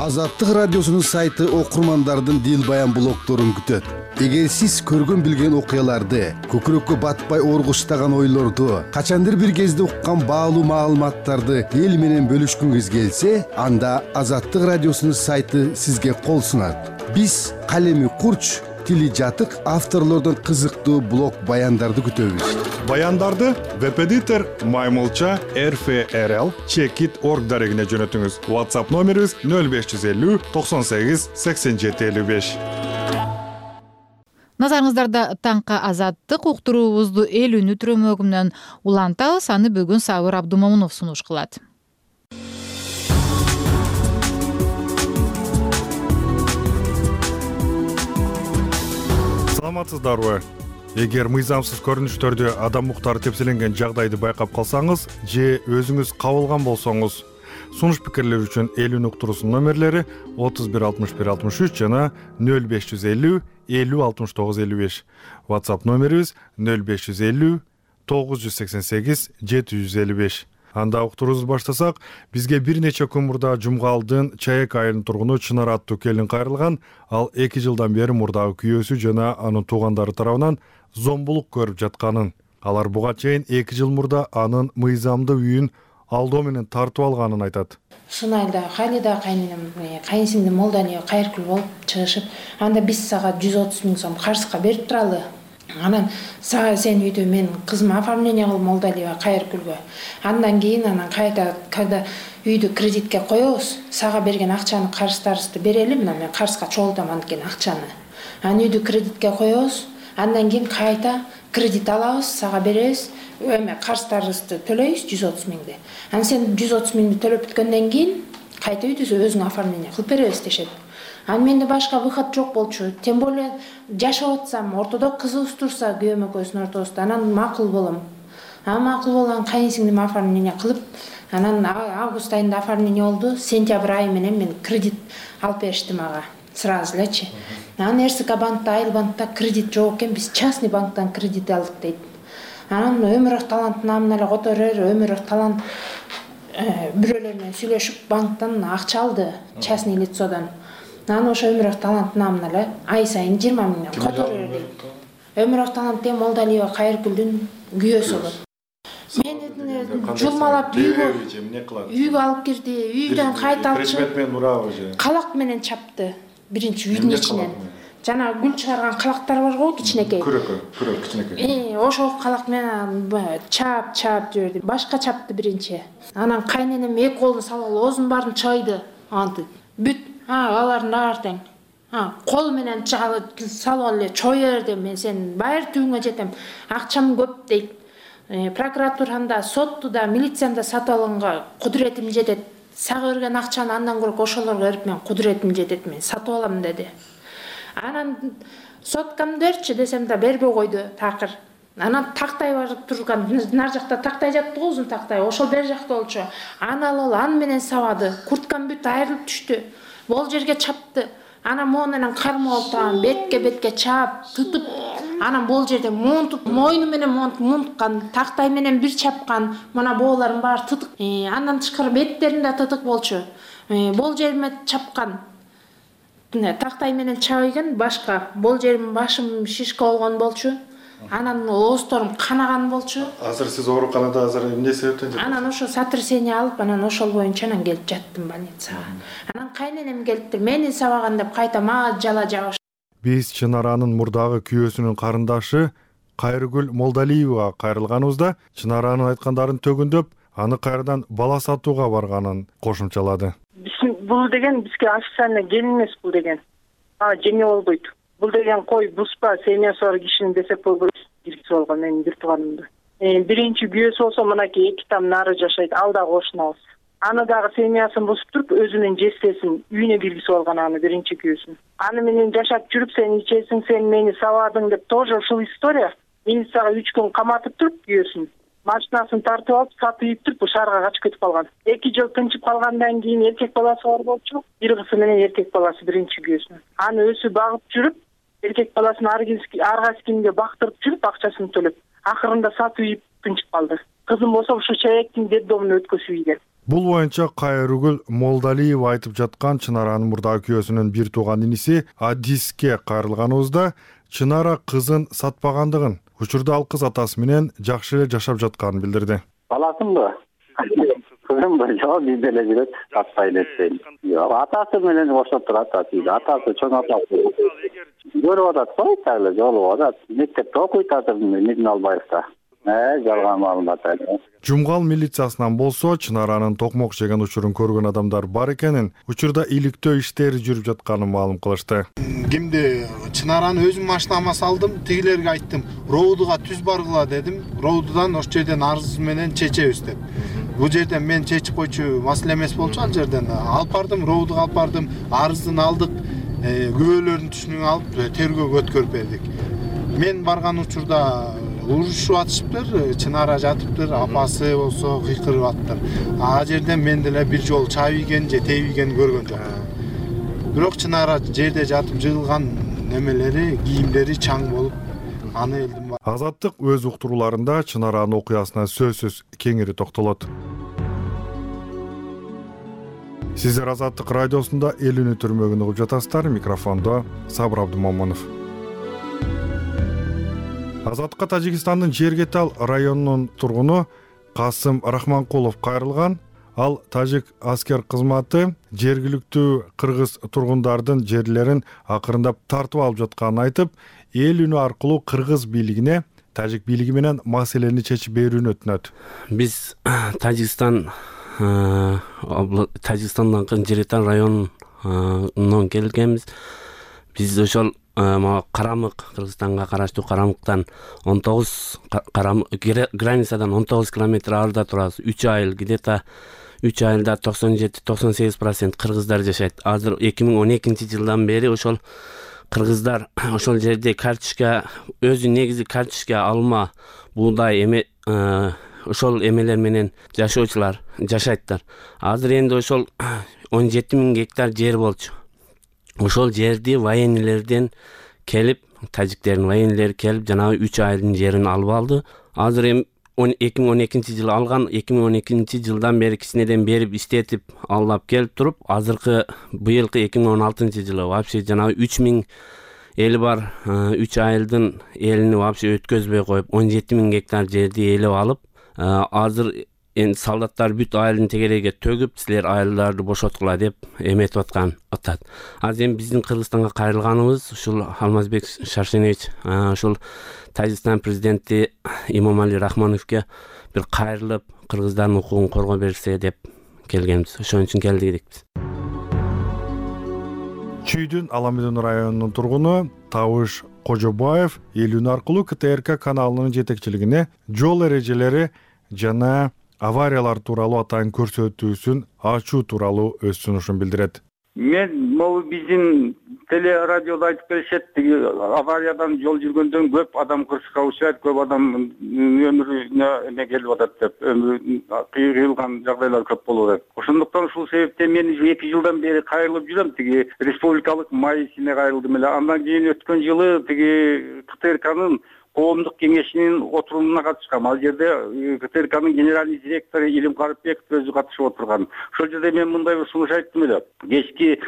Азаттык радиосунун сайты окурмандардын дил баян блогдорун күтөт. Эгер сиз көргөн билген окуяларды, көкүрөккө батпай оргуштаган ойлорду, качандыр бир кезде уккан баалуу маалыматтарды эл менен бөлүшкүңүз келсе, анда Азаттык радиосунун сайты сизге кол сунат. Биз калеми курч, тили жатык авторлордон кызыктуу блог баяндарды күтөбүз. Баяндарды веб-эдитор Маймылча эр эф эр эл чекит точка орг дарегине жөнөтүңүз. WhatsApp номерибиз нөл беш жүз элүү токсон сегиз сексен жети элүү беш. Назарыңыздарда таңкы азаттык уктуруубузду эл үнү түрөмөгү менен улантабыз. Аны бүгүн Сабыр Абдумомунов сунуш кылат. Саламатсыздарбы? Эгер мыйзамсыз көрүнүштөрдө адам укуктары тепселенген жагдайды байкап калсаңыз же өзүңүз кабылган болсоңуз, сунуш пикирлер үчүн эл үнү уктуруусунун номерлери отуз бир алтымыш бир алтымыш үч жана нөл беш жүз элүү элүү алтымыш тогуз элүү беш. WhatsApp номерибиз нөл беш жүз элүү тогуз жүз сексен сегиз жети жүз элүү беш. Анда уктуруубузду баштасак, бизге бир нече күн мурда Жумгалдын Чаек айылынын тургуну Чынар аттуу келин кайрылган. Ал эки жылдан бери мурдагы күйөөсү жана анын туугандары тарабынан зомбулук көрүп жатканын. Алар буга чейин эки жыл мурда анын мыйзамдуу үйүн алдоо менен тартып алганын айтат. Ушул айда Халида кайненем, кайынсиңдим Молдалия кайркүл болуп чыгышып, анда биз сага жүз отуз миң сом карызга берип туралы. Анан сага сен үйдө мен кызыма оформление кыл Молдалия кайркүлгө. Андан кийин анан кайда когда үйдү кредитке коебуз, сага берген акчаны карыздарыбызды берели, мына мен карызга чогултам анткени акчаны. Анан үйдү кредитке коебуз, андан кийин кайта кредит алабыз, сага беребиз, эме карыздарыбызды төлөйбүз жүз отуз миңди. Анан сен жүз отуз миңди төлөп бүткөндөн кийин кайта үйдү өзүң оформление кылып беребиз дешет. Анан менде башка выход жок болчу. Тем более жашап атсам, ортодо кызыбыз турса, күйөөм экөөбүздүн ортобузда, анан макул болом. Анан макул болгон кайынсиңдим оформление кылып, анан август айында оформление болду. Сентябрь айы менен мен кредит алып беришти мага. Сразу элечи. Анан РСК банкта, Айыл банкта кредит жок экен, биз частный банктан кредит алдык дейт. Анан Өмүрөк талант намына эле которор, Өмүрөк талант бирөөлөр менен сүйлөшүп банктан акча алды, частный лицодон. Анан ошо Өмүрөк талант намына эле ай сайын жыйырма миңден которор дейт. Өмүрөк талант дем Молдалия Кайркүлдүн күйөөсү болот. Мени жулмалап үйгө үйгө алып кирди, үйдөн кайта алып чыгып калак менен чапты. Биринчи үйдүн ичинен. Жана гүл чыгарган калактар бар го, кичинекей. Күрөккө, күрөк кичинекей. Э, ошол калак менен чап, чап жиберди. Башка чапты биринчи. Анан кайненем эки колун салып оозун баарын чайды. Антип бүт, а, алардын баары тең. А, кол менен салып эле чой берди. Мен сен баары түбүңө жетем. Акчам көп дейт. Прокуратуранда, соттуда, милицияда сатып алганга кудуретим жетет. Сага берген акчаны андан көрөк ошолорго берип мен кудуретим жетет, мен сатып алам деди. Анан соткамды берчи десем да бербей койду такыр. Анан тактай барып турган, нар жакта тактай жатты го, узун тактай, ошол бер жакта болчу. Аны алып аны менен сабады. Курткам бүт айрылып түштү. Бул жерге чапты. Анан могу менен кармап алып, бетке бетке чап, тутуп, анан бул жерде монтуп, мойну менен монтуп, монткан, тактай менен бир чапкан. Мына боолорун баары тытык. Андан тышкары беттерин да тытык болчу. Бул жериме чапкан. Тактай менен чабыйган, башка бул жерим башым шишка болгон болчу. Анан оозторум канаган болчу. Азыр сиз ооруканада азыр эмне себептен жатасыз? Анан ошо сотрясение алып, анан ошол боюнча анан келип жаттым больницага. Анан кайненем келиптир, мени сабаган деп кайта мага жала жабыш. Биз Чынаранын мурдагы күйөөсүнүн карындашы Кайргүл Молдалиевага кайрылганыбызда Чынаранын айткандарын төгүндөп, аны кайрадан бала сатууга барганын кошумчалады. Бул деген бизге официально келин эмес бул деген. А, жеңе болбойт. Бул деген кой буспа, семьясы бар кишинин десеп болбойт. Киргиз болгон менин бир тууганымды. Биринчи күйөөсү болсо мынакей эки там нары жашайт, ал да кошунабыз. Аны дагы семьясын бузуп туруп өзүнүн жестесин үйүнө киргизип алган аны биринчи күйөөсүн. Аны менен жашап жүрүп сен ичесиң, сен мени сабадың деп тоже ушул история. Милицияга үч күн каматып туруп күйөөсүн машинасын тартып алып сатып ийип туруп шаарга качып кетип калган. эки жыл тынчып калгандан кийин эркек баласы бар болчу. Бир кызы менен эркек баласы биринчи күйөөсүн. Аны өсүп багып жүрүп, эркек баласын ар кайсы кимге бактырып жүрүп акчасын төлөп, акырында сатып ийип тынчып калды. Кызым болсо ушу Чаектин детдомуна өткөзүп ийген. Бул боюнча Кайрыгүл Молдалиева айтып жаткан Чынаранын мурдагы күйөөсүнүн бир тууган инisi Адиске кайрылганыбызда Чынара кызын сатпагандыгын, учурда ал кыз атасы менен жакшы эле жашап жатканын билдирди. Баласымбы? Кызымбы? Жок, бизде эле жүрөт, сатпай эле дейт. Жок, атасы менен ошо турат, атасы чоң атасы. Көрүп атат, кой дагы жолугуп атат. Мектепте окуйт азыр Медин Албаевда. Э, жалган маалымат айтат. Жумгал милициясынан болсо Чынаранын токмок жеген учурун көргөн адамдар бар экенин, учурда иликтөө иштери жүрүп жатканын маалым кылышты. Кимди Чынараны өзүм машинама салдым, тигилерге айттым, роудуга түз баргыла дедим. Роудудан ош жерден арыз менен чечебиз деп. Бул жерден мен чечип койчу маселе эмес болчу, ал жерден алып бардым, роудуга алып бардым, арыздын алдык, күбөлөрдүн түшүнүн алып тергөөгө өткөрүп бердик. Мен барган учурда урушуп атышыптыр, Чынара жатыптыр, апасы болсо кыйкырып аттыр. А жерден мен деле бир жолу чай ийген же теп ийген көргөн жокмун. Бирок Чынара жерде жатып жыгылган немелери, кийимдери чаң болуп, аны элдим. Азаттык өз уктурууларында Чынаранын окуясына сөзсүз кеңири токтолот. Сиздер Азаттык радиосунда эл үнү түрмөгүн угуп жатасыздар. Микрофондо Сабыр Абдымомунов. Азаттыкка Тажикстандын Жергетал районунун тургуну Касым Рахманкулов кайрылган. Ал тажик аскер кызматы жергиликтүү кыргыз тургундардын жерлерин акырындап тартып алып жатканын айтып, эл үнү аркылуу кыргыз бийлигине, тажик бийлиги менен маселени чечип берүүнү өтүнөт. Биз Тажикстан Тажикстандан Жергетал районунан келгенбиз. Биз ошол Карамык, Кыргызстанга караштуу Карамыктан он тогуз границадан он тогуз километр арыда турабыз. үч айыл, где-то үч айылда токсон жети токсон сегиз процент кыргыздар жашайт. Азыр эки миң он экинчи жылдан бери ошол кыргыздар ошол жерде карточка, өзү негизи карточка, алма, буудай эме ошол эмелер менен жашоочулар жашайттар. Азыр энди ошол он жети миң гектар жер болчу. Ошол жерди военныйлерден келип, тажиктердин военнилери келип, жанагы үч айылдын жерин алып алды. Азыр эми эки миң он экинчи жылы алган, эки миң он экинчи жылдан бери кичинеден берип иштетип алып келип туруп, азыркы быйылкы эки миң он алтынчы жылы вообще жанагы үч миң эли бар үч айылдын элини вообще өткөзбөй коюп, он жети миң гектар жерди элеп алып, азыр эми солдаттар бүт айылдын тегерегиге төгүп, силер айылдарды бошоткула деп эметип аткан атат. Азыр эми биздин Кыргызстанга кайрылганыбыз ушул Алмазбек Шаршенович, ушул Тажикстан президенти Имомали Рахмоновго бир кайрылып, кыргыздардын укугун коргоо берсе деп келгенбиз. Ошон үчүн келдик биз. Чүйдүн Аламедон районунун тургуну Табыш Кожобаев эл үнү аркылуу КТРК каналынын жетекчилигине жол эрежелери жана авариялар тууралуу атайын көрсөтүүсүн ачуу тууралуу өз сунушун билдирет. Мен могу биздин телерадиодо айтып келишет, тиги авариядан жол жүргөндөн көп адам кырсыкка учурайт, көп адам өмүрүнө эме келип атат деп, өмүрү кыйылган жагдайлар көп болуп атат. Ошондуктан ушул себептен мен эки жылдан бери кайрылып жүрөм, тиги республикалык майисине кайрылдым эле. Андан кийин өткөн жылы тиги КТРКнын коомдук кеңешинин отурумуна катышкам. Ал жерде КТРКнын генеральный директору Илим Карыпбеков өзү катышып отурган. Ошол жерде мен мындай бир сунуш айттым эле. Кечки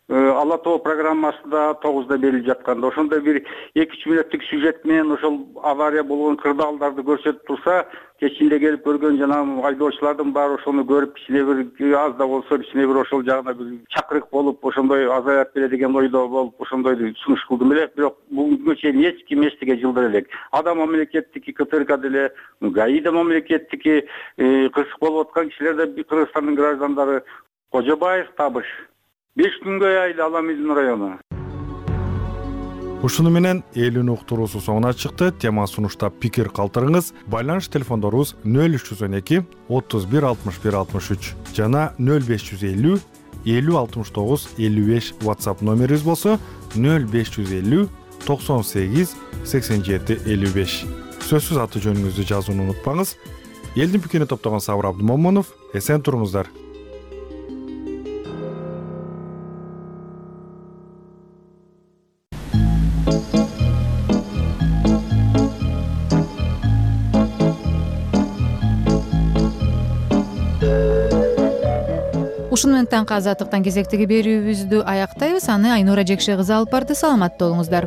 Ала тоо программасында тогузда берилип жатканда ошондо бир эки үч мүнөттүк сюжет менен ошол авария болгон кырдаалдарды көрсөтүп турса, кечинде келип көргөн жана айдоочулардын баары ошону көрүп, кичине бир аз да болсо кичине бир ошол жагына бир чакырык болуп, ошондой азаят беле деген ойдо болуп, ошондой сунуш кылдым эле. Бирок бүгүнкү чейин эч ким эчтеге жылдыр элек. Ада мамлекеттики, КТРК деле, ГАИ мамлекеттики, кырсык болуп аткан кишилер да Кыргызстандын граждандары. Кожобаев Табыш. беш күнгө айыл Аламедон району. ушуну менен эл үнү уктуруусу соңуна чыкты. Тема сунуштап пикир калтырыңыз. Байланыш телефондорубуз нөл үч жүз он эки отуз бир алтымыш бир алтымыш үч жана нөл беш жүз элүү элүү алтымыш тогуз элүү беш WhatsApp номерибиз болсо нөл беш жүз элүү токсон сегиз сексен жети элүү беш. Сөзсүз аты жөнүңүздү жазууну унутпаңыз. Элдин пикирин топтогон Сабыр Абдымомунов. Эсен туруңуздар. Ушуну менен таңкы азаттыктан кезектеги берүүбүздү аяктайбыз. Аны Айнура Жекше кызы алып барды. Саламатта болуңуздар.